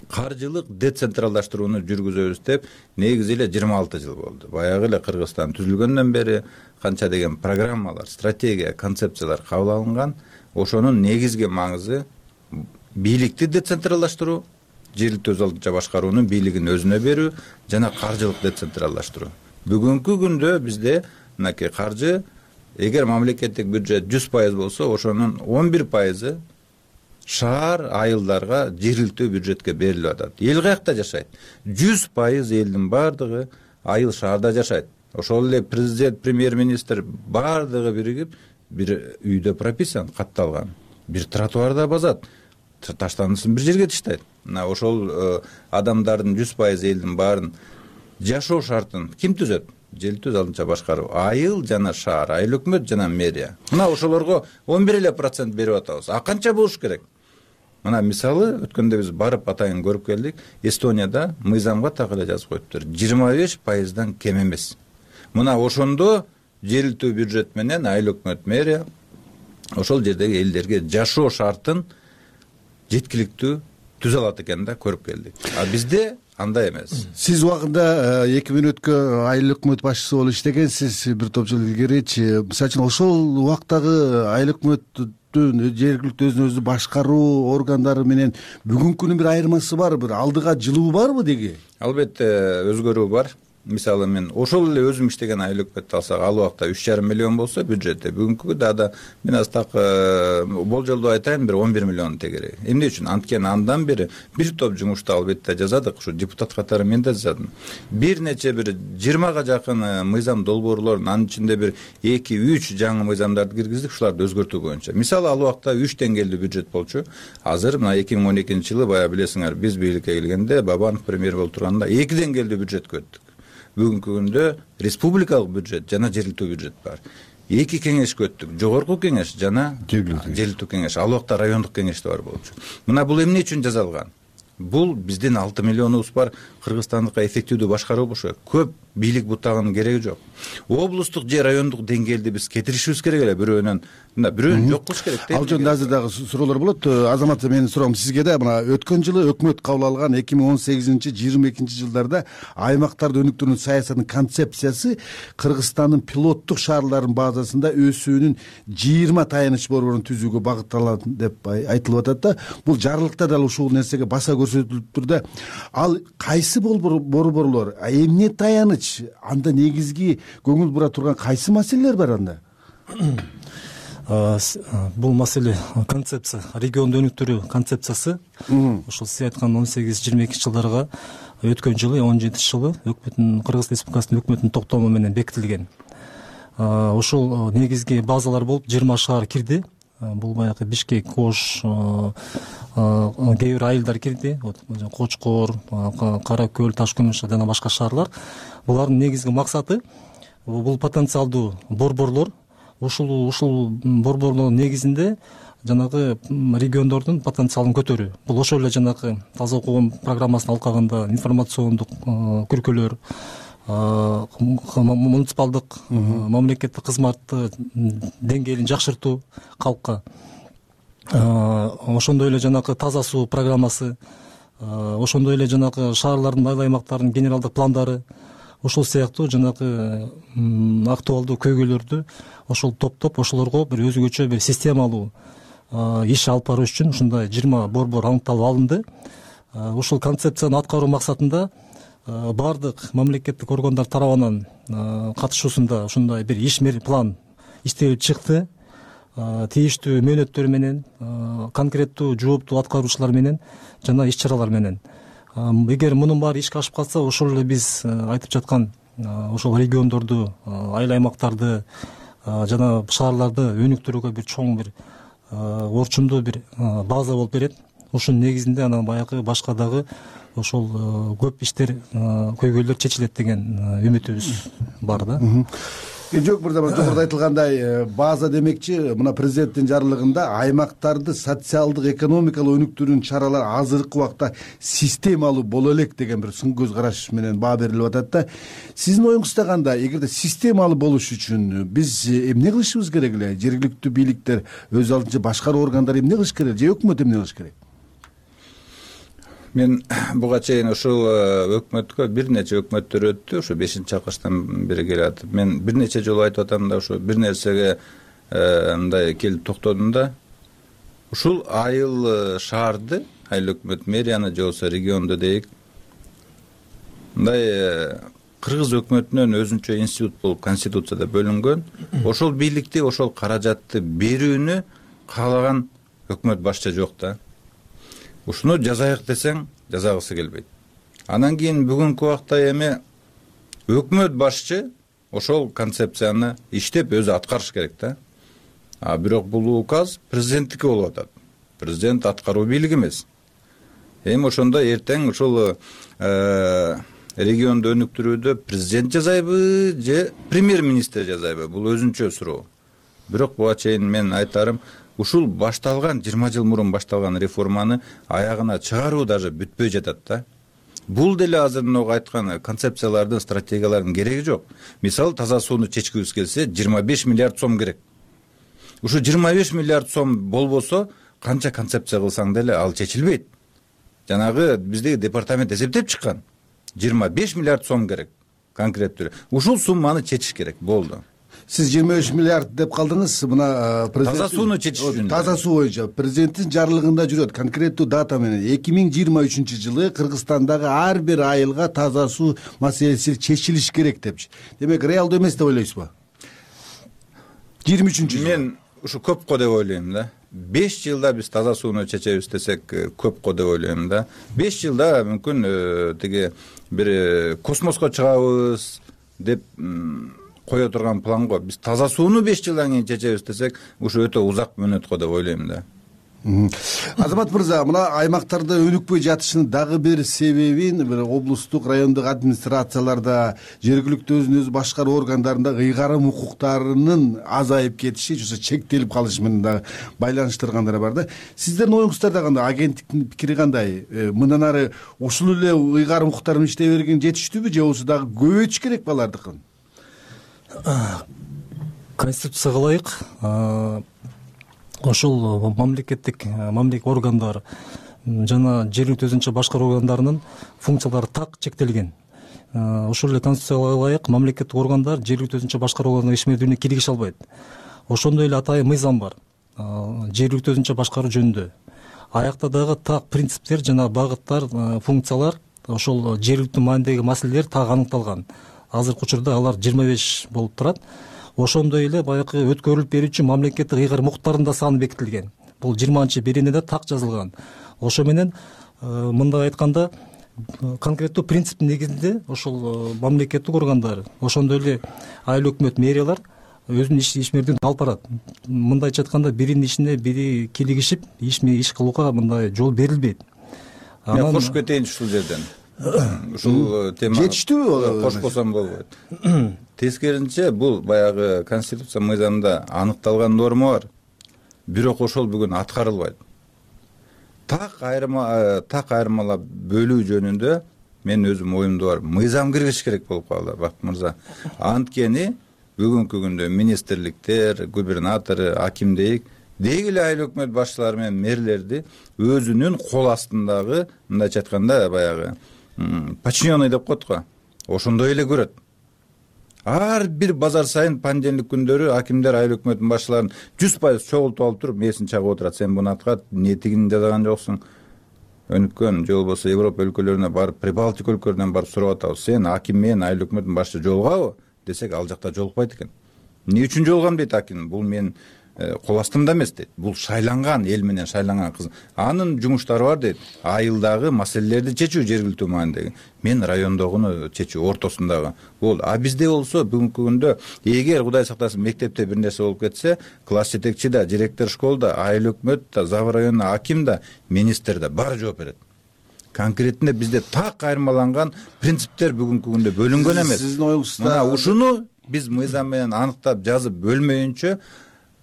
S22: Каржылык децентралдаштырууну жүргүзөбүз деп негизи эле 26 жыл болду. Баягы эле Кыргызстан түзүлгөндөн бери канча деген программалар, стратегия, концепциялар кабыл алынган. Ошонун негизги маңызы бийликти децентралдаштыруу, жергиликтүү өз алдынча башкаруунун бийлигин өзүнө берүү жана каржылык децентралдаштыруу. Бүгүнкү күндө бизде мынакей каржы, эгер мамлекеттик бюджет 100% болсо, ошонун 11% шаар айылдарга жергиликтүү бюджетке берилип атат. Эл каякта жашайт? 100% элдин бардыгы айыл шаарда жашайт. Ошол эле президент, премьер министр баардыгы биригип бир үйдө прописан катталган, бир тротуарда базат, таштандысын бир жерге таштайт. Мына ошол адамдардын 100% элдин баарын жашоо шартын ким түзөт? Желтөз алдынча башкаруу. Айыл жана шаар, айыл өкмөт жана мэрия. Мына ошолорго 11% берип атабыз. А канча болуш керек? Мына мисалы өткөндө биз барып атайын көрүп келдик. Эстонияда мыйзамга так эле жазып коюптур. 25%дан кем эмес. Мына ошондо жергиликтүү бюджет менен айыл өкмөт, мэрия ошол жердеги элдерге жашоо шартын жеткиликтүү түзө алат экен да көрүп келдик. А бизде андай эмес.
S20: Сиз убагында 2 мүнөткө айыл өкмөт башчысы болуп иштегенсиз бир топ жыл илгеричи. Мисалы үчүн ошол убактагы айыл өкмөттүн жергиликтүү өзүн өзү башкаруу органдары менен бүгүнкүнүн бир айырмасы барбы? Бир алдыга жылуу барбы деги?
S22: Албетте өзгөрүү бар. Мисалы мен ошол эле өзүм иштеген айыл өкмөттү алсак, ал убакта 3,5 миллион болсо бюджетте, бүгүнкү да мен аз так болжолдоо айтайын, бир 11 миллион тегерек. Эмне үчүн? Анткени андан бери бир топ жумушту албетте жазадык, ушу депутат катары мен да жаздым. Бир нече бир 20га жакын мыйзам долбоорлорун, анын ичинде бир 2-3 жаңы мыйзамдарды киргиздик, ушуларды өзгөртүү боюнча. Мисалы ал убакта 3 деңгээлдүү бюджет болчу. Азыр мына 2012-жылы бая билесиңер, биз бийликке келгенде Бабанов премьер болуп турганда 2 деңгээлдүү бюджет көттүк. Бүгүнкү күндө республикалык бюджет жана жергиликтүү бюджет бар. 2 кеңеш көттүк. Жогорку кеңеш жана жергиликтүү кеңеш. Ал убакта райондук кеңеш да бар болчу. Мына бул эмне үчүн жасалган? Бул биздин 6 миллионубуз бар, Кыргызстандыкка эффективдүү башкаруу болуш керек. Көп бийлик бутагынын кереги жок. Облустук же райондук деңгээлде биз кетиришибиз керек эле бирөөнөн. Мына бирөөнү жок кылыш керек.
S20: Ал жөнүндө азыр дагы суроолор болот. Азамат, менин суроом сизге да. Мына өткөн жылы өкмөт кабыл алган 2018-22 жылдарда аймактарды өнүктүрүүнүн саясатынын концепциясы Кыргызстандын пилоттук шаарларынын базасында өсүүнүн 20 таяныч борборун түзүүгө багытталат деп айтылып атат да. Бул жарлыкта да ушул нерсеге баса көрсөтүлүптүр да. Ал кайсы борборлор, эмне таяныч, анда негизги көңүл бура турган кайсы маселелер бар анда?
S21: Бул маселе концепция, регионду өнүктүрүү концепциясы ошол сиз айткан 18-22 жылдарга өткөн жылы 17 жылы өкмөттүн, Кыргыз Республикасынын өкмөтүнүн токтому менен бекитилген. Ошол негизги базалар болуп 20 шаар кирди. Бул баягы Бишкек, Ош, кээ бир айылдар кирди. Кочкор, Кара Көл, Ташкөмүш жана башка шаарлар. Булардын негизги максаты бул потенциалдуу борборлор, ушул борборлордун негизинде жанагы региондордун потенциалын көтөрүү. Бул ошол эле жанагы таза окуу программасынын алкагында информациондук күркөлөр, муниципалдык мамлекеттик кызматты деңгээлин жакшыртуу калкка, ошондой эле жанагы таза суу программасы, ошондой эле жанагы шаарлардын айыл аймактарынын генералдык пландары, ошол сыяктуу жанагы актуалдуу көйгөйлөрдү ошол топтоп, ошолорго бир өзгөчө бир системалуу иш алып баруу үчүн ушундай 20 борбор аныкталып алынды. Ошол концепцияны аткаруу максатында баардык мамлекеттик органдар тарабынан катышуусунда ушундай бир иш план иштелип чыкты. Тийиштүү мөөнөттөр менен, конкреттүү жооптуу аткаруучулар менен жана иш чаралар менен. Эгер мунун баары ишке ашып калса, ошол эле биз айтып жаткан ошол региондорду, айыл аймактарды жана шаарларды өнүктүрүүгө бир чоң бир орчундуу бир база болуп берет. Ошонун негизинде анан баягы башка дагы ошол көп иштер, көйгөйлөр чечилет деген үмүтүбүз бар да.
S20: Жок, жогоруда айтылгандай база демекчи, мына президенттин жарлыгында аймактарды социалдык, экономикалык өнүктүрүүнүн чаралары азыркы убакта системалуу боло элек деген бир сын көз караш менен баа берилип атат да. Сиздин оюңузда кандай? Эгерде системалуу болуш үчүн биз эмне кылышыбыз керек эле? Жергиликтүү бийликтер, өз алдынча башкаруу органдары эмне кылыш керек? Же өкмөт эмне кылыш керек?
S22: Мен буга чейин ушул өкмөткө бир нече өкмөттөр өттү, ушу 5-чакырыштан бери келип. Мен бир нече жолу айтып атам да, ушу бир нерсеге мындай келип токтодум да. Ушул айыл шаарды, айыл өкмөт мэрияны же болбосо регионду дейик, мындай кыргыз өкмөтүнөн өзүнчө институт болуп конституцияда бөлүнгөн. Ошол бийликти, ошол каражатты берүүнү каалаган өкмөт башчы жок да. Ушуну жазайык десең, жазагысы келбейт. Анан кийин бүгүнкү убакта эми өкмөт башчы ошол концепцияны иштеп өзү аткарыш керек да. Бирок бул указ президенттики болуп атат. Президент аткаруу бийлиги эмес. Эми ошондо эртең ушул регионду өнүктүрүүдө президент жасайбы же премьер-министр жасайбы? Бул өзүнчө суроо. Бирок буга чейин мен айтарым, ушул башталган 20 жыл мурун башталган реформаны аягына чыгаруу даже бүтпөй жатат да. Бул деле азыр мынау айткан концепциялардын, стратегиялардын кереги жок. Мисалы, таза сууну чечкибиз келсе 25 миллиард сом керек. Ушу 25 миллиард сом болбосо канча концепция кылсаң деле ал чечилбейт. Жанагы биздеги департамент эсептеп чыккан. 25 миллиард сом керек конкреттүү. Ушул сумманы чечиш керек, болду.
S20: Сиз 25 миллиард деп калдыңыз. Мына
S22: таза сууну чечиш үчүн.
S20: Таза суу боюнча президенттин жарлыгында жүрөт конкреттүү дата менен 2023-жылы Кыргызстандагы ар бир айылга таза суу маселеси чечилиш керек депчи. Демек реалдуу эмес деп ойлойсузбу? 23-жылы.
S22: Мен ушу көп го деп ойлойм да. 5 жылда биз таза сууну чечебиз десек көп го деп ойлойм да. 5 жылда мүмкүн тиги бир космоско чыгабыз деп кое турган планго биз таза сууну 5 жылдан кийин чечебиз десек, ушу өтө узак мөөнөт го деп ойлойм да.
S20: Азамат мырза, мына аймактарда өнүкпөй жатышынын дагы бир себебин бир облустук, райондук администрацияларда, жергиликтүү өзүн өзү башкаруу органдарында ыйгарым укуктарынын азайып кетиши, же чектелип калышы менен да байланыштыргандар бар да. Сиздердин оюңуздарда кандай, агенттиктин пикири кандай? Мындан ары ушул эле ыйгарым укуктарын иштей берген жетиштүүбү, же болбосо дагы көбөйтүш керек балардыкын?
S21: Конституцияга ылайык ошол мамлекеттик органдар жана жергиликтүү өзүнчө башкаруу органдарынын функциялары так чектелген. Ошол эле Конституцияга ылайык мамлекеттик органдар жергиликтүү өзүнчө башкаруу органдарынын ишмердүүлүгүнө киргише албайт. Ошондой эле атайын мыйзам бар жергиликтүү өзүнчө башкаруу жөнүндө. Аякта дагы так принциптер жана багыттар, функциялар, ошол жергиликтүү маанидеги маселелер так аныкталган. Азыркы учурда алар 25 болуп турат. Ошондой эле баягы өткөрүлүп берүүчү мамлекеттик ыйгарым укуктардын да саны бекитилген. Бул 20-биринде так жазылган. Ошо менен мындай айтканда конкреттүү принциптин негизинде ошол мамлекеттик органдар, ошондой эле айыл өкмөт мэриялар өзүнүн ишмердүүлүгүн алып барат. Мындайча айтканда биринин ишине бири килигишип иш кылууга мындай жол берилбейт.
S22: Мен кошуп кетейин ушул жерден. Ушул тема
S20: жетиштүүбү?
S22: Кошпосом болбойт. Тескерисинче бул баягы конституция мыйзамында аныкталган норма бар. Бирок ошол бүгүн аткарылбайт. Так айырмалап бөлүү жөнүндө мен өзүм оюмда бар. Мыйзам киргизиш керек болуп калды, Бакыт мырза. Анткени бүгүнкү күндө министрликтер, губернатор, акимдейик деги эле айыл өкмөт башчылары менен мэрлерди өзүнүн кол астындагы, мындайча айтканда баягы подчиненный деп коет го. Ошондой эле көрөт. Ар бир базар сайын понедельник күндөрү акимдер айыл өкмөттүн башчыларын 100% чогултуп алып туруп месин чагып отурат. Сен буну аткат, эмне тигин жазган жоксуң? Өнүккөн же болбосо Европа өлкөлөрүнө барып, Прибалтика өлкөлөрүнөн барып сурап атабыз. Сен аким менен айыл өкмөттүн башчысы жолугабы десек, ал жакта жолукпайт экен. Эмне үчүн жолугам дейт аким? Бул мен кол астымда эмес дейт. Бул шайланган, эл менен шайланган кыз. Анын жумуштары бар дейт. Айылдагы маселелерди чечүү жергиликтүү маанидеги. Мен райондогуну чечүү, ортосундагы. Бул. Бизде болсо бүгүнкү күндө эгер Кудай сактасын мектепте бир нерсе болуп кетсе, класс жетекчи да, директор школ да, айыл өкмөт да, Зав районуна аким да, министр да баары жооп берет. Конкретинде бизде так айырмаланган принциптер бүгүнкү күндө бөлүнгөн эмес.
S20: Сиздин оюңузда
S22: мына ушуну биз мыйзам менен аныктап жазып бөлмөйүнчө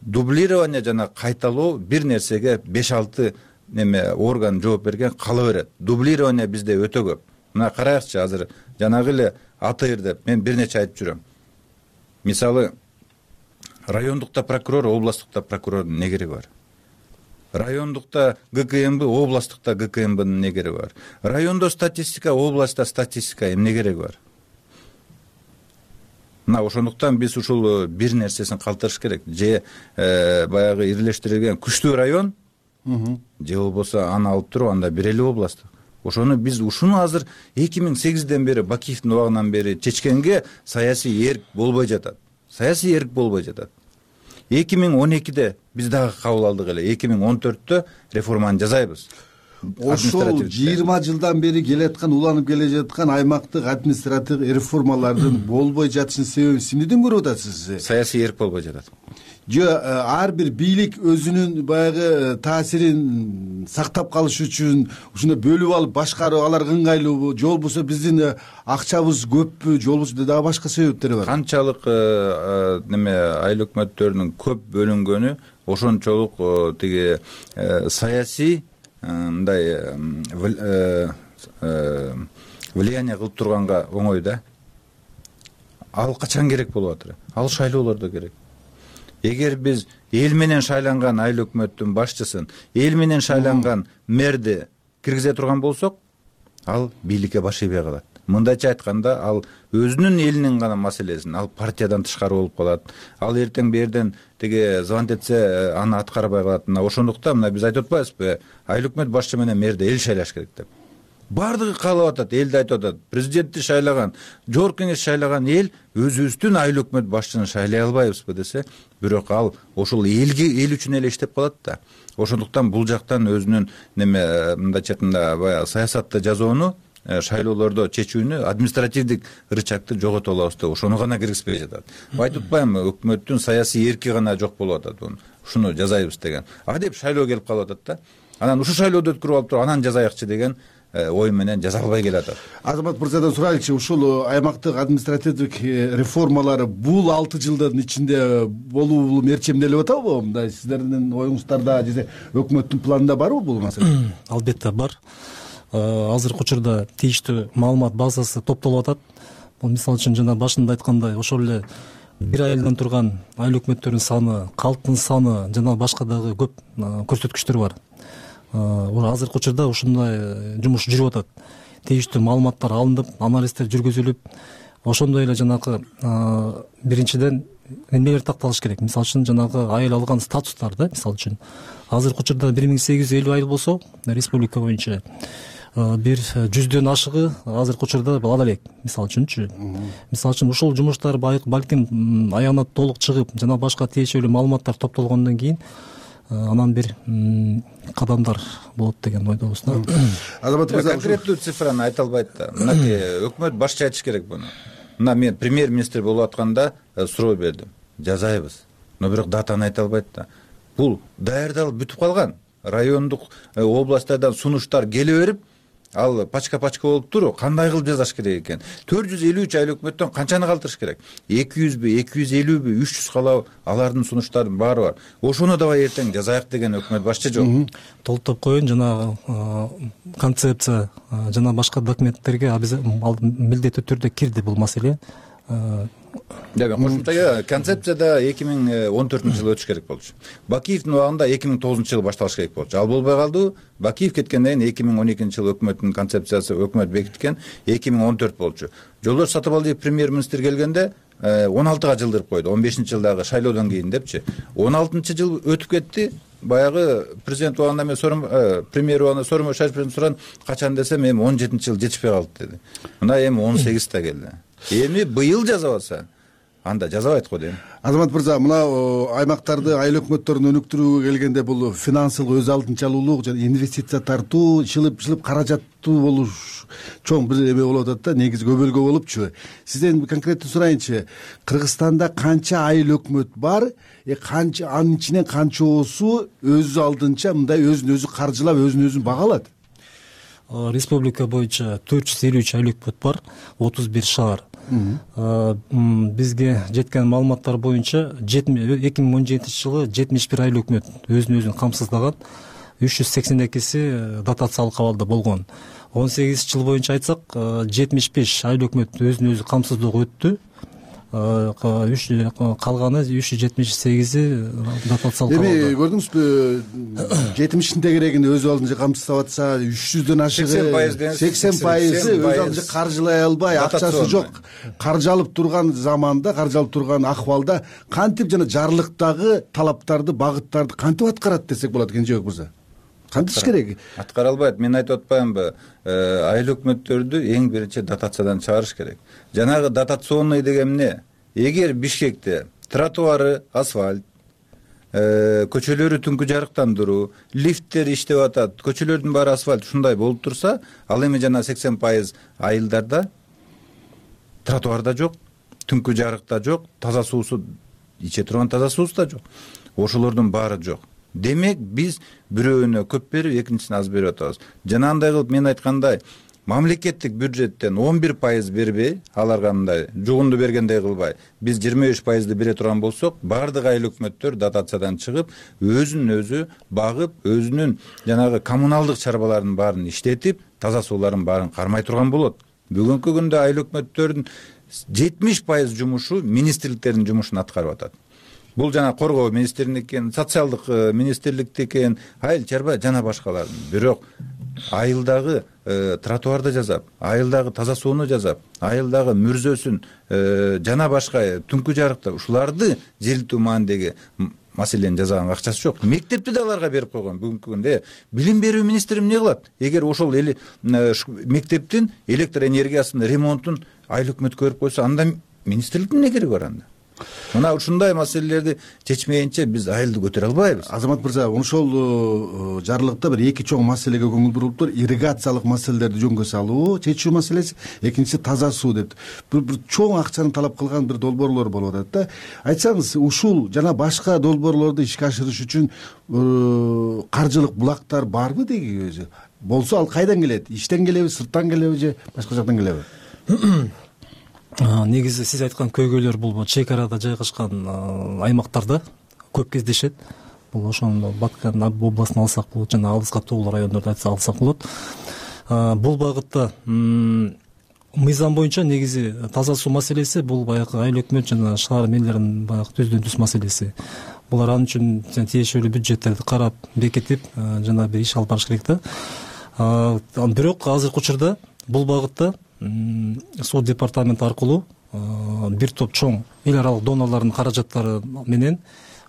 S22: дублирование жана кайталоо бир нерсеге 5-6 орган жооп берген кала берет. Дублирование бизде өтө көп. Мына карайыкчы, азыр жанагы эле АТР деп мен бир нече айтып жүрөм. Мисалы, райондукта прокурор, областтыкта прокурордун эмне кереги бар? Райондукта ГКМБ, областтыкта ГКМБнын эмне кереги бар? Райондо статистика, областта статистика эмне кереги бар? Мына ошондуктан биз ушул бир нерсесин калтырыш керек. Же баягы ирлештирилген күчтүү район, же болбосо аны алып туруп анда бир эле областтык. Ошону биз ушуну азыр 2008-ден бери, Бакиевдин убагынан бери чечкенге саясий эрк болбой жатат. Саясий эрк болбой жатат. 2012-де биз дагы кабыл алдык эле. 2014-тө реформаны жасайбыз.
S20: ошол 20 жылдан бери келаткан уланып келе жаткан аймактык административдик реформалардын болбой жатышынын себебин эмнеден көрүп атасыз?
S22: Саясий эрк болбой жатат.
S20: Ар бир бийлик өзүнүн баягы таасирин сактап калыш үчүн ушуну бөлүп алып башкарып аларга ыңгайлуубу же болбосо биздин акчабыз көппү же болбосо дагы башка себептери бар?
S22: Канчалык айыл өкмөттөрүнүн көп бөлүнгөнү ошончолук тиги саясий мындай влияние кылып турганга оңой да. Ал качан керек болуп атыр? Ал шайлоолордо керек. Эгер биз эл менен шайланган айыл өкмөттүн башчысын, эл менен шайланган мэрди киргизе турган болсок, ал бийликке баш ийбей калат. Мындайча айтканда, ал өзүнүн элинин гана маселесин, ал партиядан тышкары болуп калат. Ал эртең берден тиги звонить этсе, аны аткарбай калат. Мына ошондуктан биз айтып атпайбызбы, айыл өкмөт башчы менен мэрди эл шайлаш керек деп. Бардыгы каалап атат, элди айтып атат. Президентти шайлаган, жогорку кеңеш шайлаган эл өзүбүздүн айыл өкмөт башчыны шайлай албайбызбы десе, бирок ал ошол эл үчүн эле иштеп калат да. Ошондуктан бул жактан өзүнүн мындайча айтканда баягы саясатты жазууну, шайлоолордо чечүүнү, административдик рычагты жогото алабыз деп ошону гана киргизбей жатат. Айтып атпаймынбы, өкмөттүн саясий эрки гана жок болуп атат, ушуну жазайбыз деген. Деп шайлоо келип калып атат да. Анан ушу шайлоодо өткөрүп алып туруп, анан жазайыкчы деген ой менен жаза албай келатат.
S20: Азамат мырзадан сурайлычы, ушул аймактык административдик реформалар бул 6 жылдын ичинде болуу мерчемделип атабы? Мындай сиздердин оюңуздарда же өкмөттүн планында барбы бул маселе?
S21: Албетте бар. Азыркы учурда тийиштүү маалымат базасы топтолуп атат. Бул мисалы үчүн жана башында айткандай, ошол эле бир айылдан турган айыл өкмөттөрүнүн саны, калктын саны жана башка дагы көп көрсөткүчтөр бар. Азыркы учурда ушундай жумуш жүрүп атат. Тийиштүү маалыматтар алынып, анализдер жүргүзүлүп, ошондой эле жанагы биринчиден эмнелер такталыш керек. Мисалы үчүн жанагы айыл алган статустар да, мисалы үчүн азыркы учурда 1850 айыл болсо, республика боюнча бир 100дөн ашыгы азыркы учурда ала элек, мисалы үчүнчү. Мисалы үчүн ушул жумуштар балким аягына толук чыгып, жана башка тиешелүү маалыматтар топтолгондон кийин анан бир кадамдар болот деген ойдобуз да.
S20: Азамат мырза,
S22: конкреттүү цифраны айта албайт да. Мынакей өкмөт башчы айтыш керек буну. Мына мен премьер-министр болуп атканда суроо бердим. Жазайбыз. Но бирок датаны айта албайт да. Бул даярдалып бүтүп калган. Райондук, областтардан сунуштар келе берип, ал пачка-пачка болуп туруп, кандай кылып жазаш керек экен? 453 айыл өкмөттөн канчаны калтырыш керек? 200бү, 250бү, 300 калабы? Алардын сунуштарынын баары бар. Ошону дабай эртең жазайык деген өкмөт башчы жок.
S21: Толуктап коеюн, жана концепция жана башка документтерге ал милдеттүү түрдө кирди бул маселе.
S22: Кошумча концепцияда 2014-жылы өтүш керек болчу. Бакиевдин убагында 2009-жылы башталыш керек болчу. Ал болбой калды. Бакиев кеткенден кийин 2012-жылы өкмөттүн концепциясы өкмөт бекиткен 2014 болчу. Жолдош Сатыбалдиев премьер-министр келгенде 16-га жылдырып койду. 15-жылдагы шайлоодон кийин депчи. 16-жыл өтүп кетти. Баягы президент убагында мен премьер убагында Сооронбай Шариповдон суран качан десем, эми 17-жыл жетишпей калды деди. Мына эми 18-та келди. Эми быйыл жазабаса, анда жазабайт го дейм.
S20: Азамат мырза, мына аймактарды айыл өкмөттөрүн өнүктүрүүгө келгенде бул финансылык өз алдынчалуулук жана инвестиция тартуу, чылып каражаттуу болуш чоң бир эме болуп атат да, негизи көбөлгө болупчу. Сизден конкреттүү сурайынчы, Кыргызстанда канча айыл өкмөт бар? Канча, анын ичинен канчоосу өз алдынча мындай өзүн өзү каржылап, өзүн өзү багалат?
S21: Республика боюнча 453 айыл өкмөт бар, 31 шаар. Бизге жеткен маалыматтар боюнча 2017-жылы 71 айыл өкмөт өзүн өзүн камсыздаган, 382си дотациялык абалда болгон. 18 жыл боюнча айтсак, 75 айыл өкмөт өзүн өзү камсыздоого өттү. Калганы 378и дотациялык абалда.
S20: Эми көрдүңүзбү, 70 тегерегинде өз алдынча камсыздап атса, 300дөн ашыгы 80% өз алдынча каржылай албай, акчасы жок, каржы турган заманда, каржы турган акыбалда кантип жана жарлыктагы талаптарды, багыттарды кантип аткарат десек болот, Кенжебек мырза? Кантип керек?
S22: Аткара албайт. Мен айтып атпаймынбы, айыл өкмөттөрдү эң биринчи дотациядан чыгарыш керек. Жанагы дотационный деген эмне? Эгер Бишкекте тротуары асфальт, көчөлөрү түнкү жарыктандыруу, лифттер иштеп атат, көчөлөрдүн баары асфальт ушундай болуп турса, ал эми жана 80% айылдарда тротуарда жок, түнкү жарыкта жок, таза суусу, иче турган таза суусу да жок. Ошолордун баары жок. Демек биз бирөөнө көп берип, экинчисине аз берип атабыз. Жана андай кылып мен айткандай, мамлекеттик бюджеттен 11% бербей, аларга мындай жугунду бергендей кылбай, биз 25% бере турган болсок, баардык айыл өкмөттөр дотациядан чыгып, өзүн өзү багып, өзүнүн жанагы коммуналдык чарбаларын баарын иштетип, таза сууларын баарын кармай турган болот. Бүгүнкү күндө айыл өкмөттөрдүн 70% жумушу министрликтердин жумушун аткарып атат. Бул жана коргоо министрлигиники экен, социалдык министрликтики экен, айыл чарба жана башкалардын. Бирок айылдагы тротуарды жасап, айылдагы таза сууну жасап, айылдагы мүрзөсүн жана башка түнкү жарыкта ушуларды желтүү маанидеги маселени жасаганга акчасы жок. Мектепти да аларга берип койгон. Бүгүнкү күндө билим берүү министри эмне кылат? Эгер ошол мектептин электр энергиясынын ремонтун айыл өкмөткө берип койсо, анда министрликтин эмне кереги бар анда? Мына ушундай маселелерди чечмейинче биз айылды көтөрө албайбыз.
S20: Азамат мырза, ошол жарлыкта бир эки чоң маселеге көңүл бурулуптур. Ирригациялык маселелерди жөнгө салуу, чечүү маселеси, экинчиси таза суу деп. Бир чоң акчаны талап кылган бир долбоорлор болуп атат да. Айтсаңыз, ушул жана башка долбоорлорду ишке ашырыш үчүн каржылык булактар барбы деги өзү? Болсо ал кайдан келет? Иштен келеби, сырттан келеби же башка жактан келеби?
S21: Негизи сиз айткан көйгөйлөр бул чек арада жайгашкан аймактарда көп кездешет. Бул ошону Баткан областын алсак болот, жана алыска тоолуу райондорду алсак болот. Бул багытта мыйзам боюнча негизи таза суу маселеси бул баягы айыл өкмөт жана шаар мээлеринин баягы түздөн түз маселеси. Булар ал үчүн тиешелүү бюджеттерди карап, бекитип, жана бир иш алып барыш керек да. Бирок азыркы учурда бул багытта суу департаменти аркылуу бир топ чоң эл аралык донорлордун каражаттары менен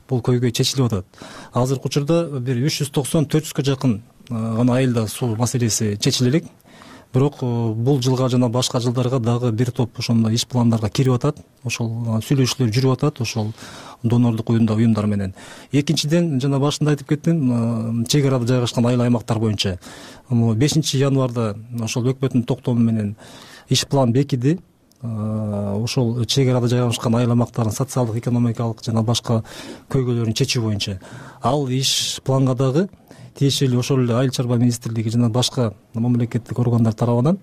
S21: бул көйгөй чечилип атат. Азыркы учурда бир 390-400га жакын гана айылда суу маселеси чечиле элек. Бирок бул жылга жана башка жылдарга дагы бир топ ошондой иш пландарга кирип атат. Ошол сүйлөшүүлөр жүрүп атат ошол донорлук уюмдар менен. Экинчиден, жана башында айтып кеттим, чек арада жайгашкан айыл аймактар боюнча 5 январда ошол өкмөттүн токтому менен иш план бекиди. Ошол чек арада жайгашкан айыл аймактардын социалдык, экономикалык жана башка көйгөйлөрүн чечүү боюнча. Ал иш планга дагы тиешелүү ошол эле айыл чарба министрлиги жана башка мамлекеттик органдар тарабынан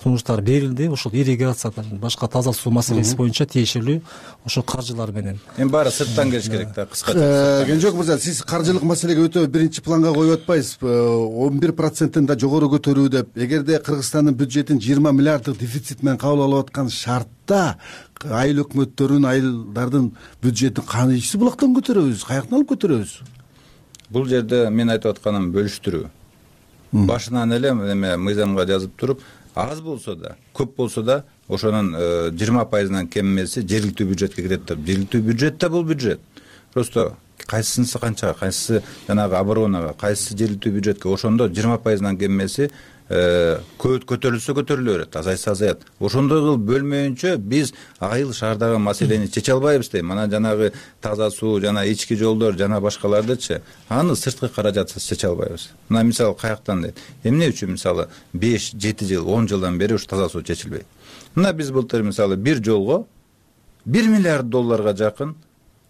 S21: сунуштар берилди. Ошол ирригация, башка таза суу маселеси боюнча тиешелүү ошол каржылар менен.
S22: Эми баары сырттан келиш керек да, кыскача.
S20: Кенжебек мырза, сиз каржылык маселеге өтө биринчи планга коюп атпайсызбы? 11%-тен да жогору көтөрүү деп. Эгерде Кыргызстандын бюджетин 20 миллиарддык дефицит менен кабыл алып аткан шартта айыл өкмөттөрүн, айылдардын бюджетин кайсы булактан көтөрөбүз? Каяктан алып көтөрөбүз?
S22: Бул жерде мен айтып атканым бөлүштүрүү. Башынан эле эме мыйзамга жазып туруп, аз болсо да, көп болсо да, ошонун 20%-нан кем эмеси жергиликтүү бюджетке кирет деп. Жергиликтүү бюджет да бул бюджет. Просто кайсысынысы канчага, кайсысы жанагы оборонага, кайсысы жергиликтүү бюджетке, ошондо 20%-нан кем эмеси көтөрүлсө көтөрүлө берет, азайса азаят. Ошондой кылып бөлмөйүнчө биз айыл шаардагы маселени чече албайбыз дейм. Мана жанагы таза суу, жана ички жолдор, жана башкалардычы, аны сырткы каражатсыз чече албайбыз. Мына мисалы каяктан дейт. Эмне үчүн мисалы 5-7 жыл, 10 жылдан бери ушу таза суу чечилбейт? Мына биз былтыр мисалы бир жолго 1 миллиард долларга жакын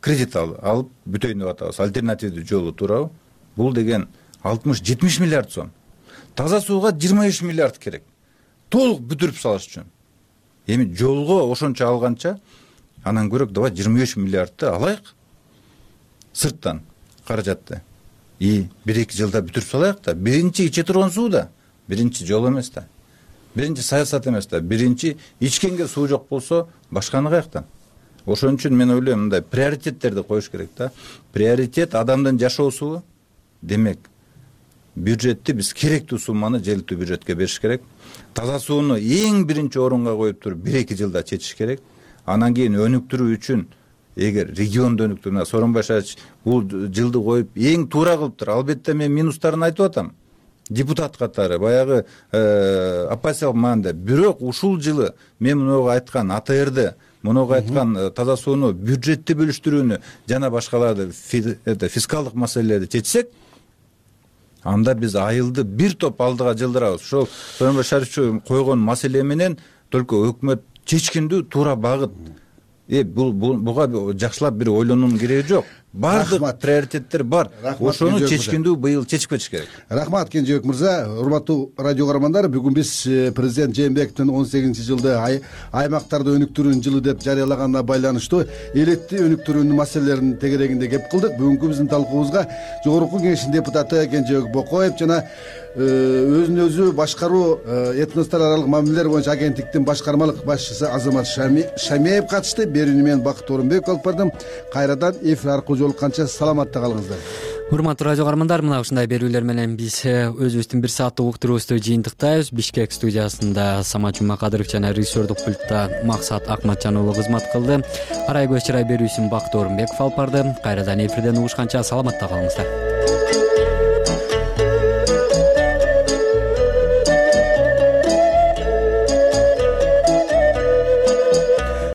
S22: кредит алып бүтөйүн деп атабыз. Альтернативдүү жолу туурабы? Бул деген 60-70 миллиард сом. Таза сууга 23 миллиард керек. Толук бүтүрүп салыш үчүн. Эми жолго ошончо алганча, анан көрөк давай 23 миллиардты алайык. Сырттан каражатты. 1-2 жылда бүтүрүп салайык да. Биринчи иче турган суу да, биринчи жол эмес да. Биринчи саясат эмес да. Биринчи ичкенге суу жок болсо, башканы каяктан? Ошон үчүн мен ойлойм, мындай приоритеттерди коюш керек да. Приоритет адамдын жашоосу. Демек, бюджетти биз керектүү сумманы жергиликтүү бюджетке бериш керек. Таза сууну эң биринчи орунга коюп туруп 1-2 жылда чечиш керек. Анан кийин өнүктүрүү үчүн эгер регионду өнүктүрүү, Сооронбай Шач бул жылды коюп эң туура кылыптыр. Албетте мен минустарын айтып атам. Депутат катары баягы оппозициялык маанда. Бирок ушул жылы мен мынага айткан АТРды мунуга айткан таза сууну бюджетти бөлүштүрүүнү жана башкаларды фискалдык маселелерди чечсек, анда биз айылды бир топ алдыга жылдырабыз. Ошол Сооронбай Шарипович койгон маселе менен только өкмөт чечкиндүү туура багыт. Буга жакшылап бир ойлонуунун кереги жок. Баардык приоритеттер бар. Ошону чечкиндүү быйыл чечип кетиш керек.
S20: Рахмат Кенжебек мырза. Урматтуу радио көрөрмандар, бүгүн биз президент Жээнбековдун 18-жылды аймактарды өнүктүрүүнүн жылы деп жарыялаганына байланыштуу электри өнүктүрүүнүн маселелеринин тегерегинде кеп кылдык. Бүгүнкү биздин талкуубузга Жогорку Кеңештин депутаты Кенжебек Бокоев жана өзүн өзү башкаруу этностор аралык мамилелер боюнча агенттиктин башкармалык башчысы Азамат Шамиев катышты. Берүүнү мен Бакыт Орунбеков алып бардым. Кайрадан эфир аркылуу жолукканча саламатта калыңыздар.
S1: Урматтуу радио каармандар, мына ушундай берүүлер менен биз өзүбүздүн бир сааттык уктуруубузду жыйынтыктайбыз. Бишкек студиясында Самат Жумакадыров жана режиссердук пультта Максат Акматжан уулу кызмат кылды. Арай көз чырай берүүсүн Бакыт Орунбеков алып барды. Кайрадан эфирден угушканча саламатта калыңыздар.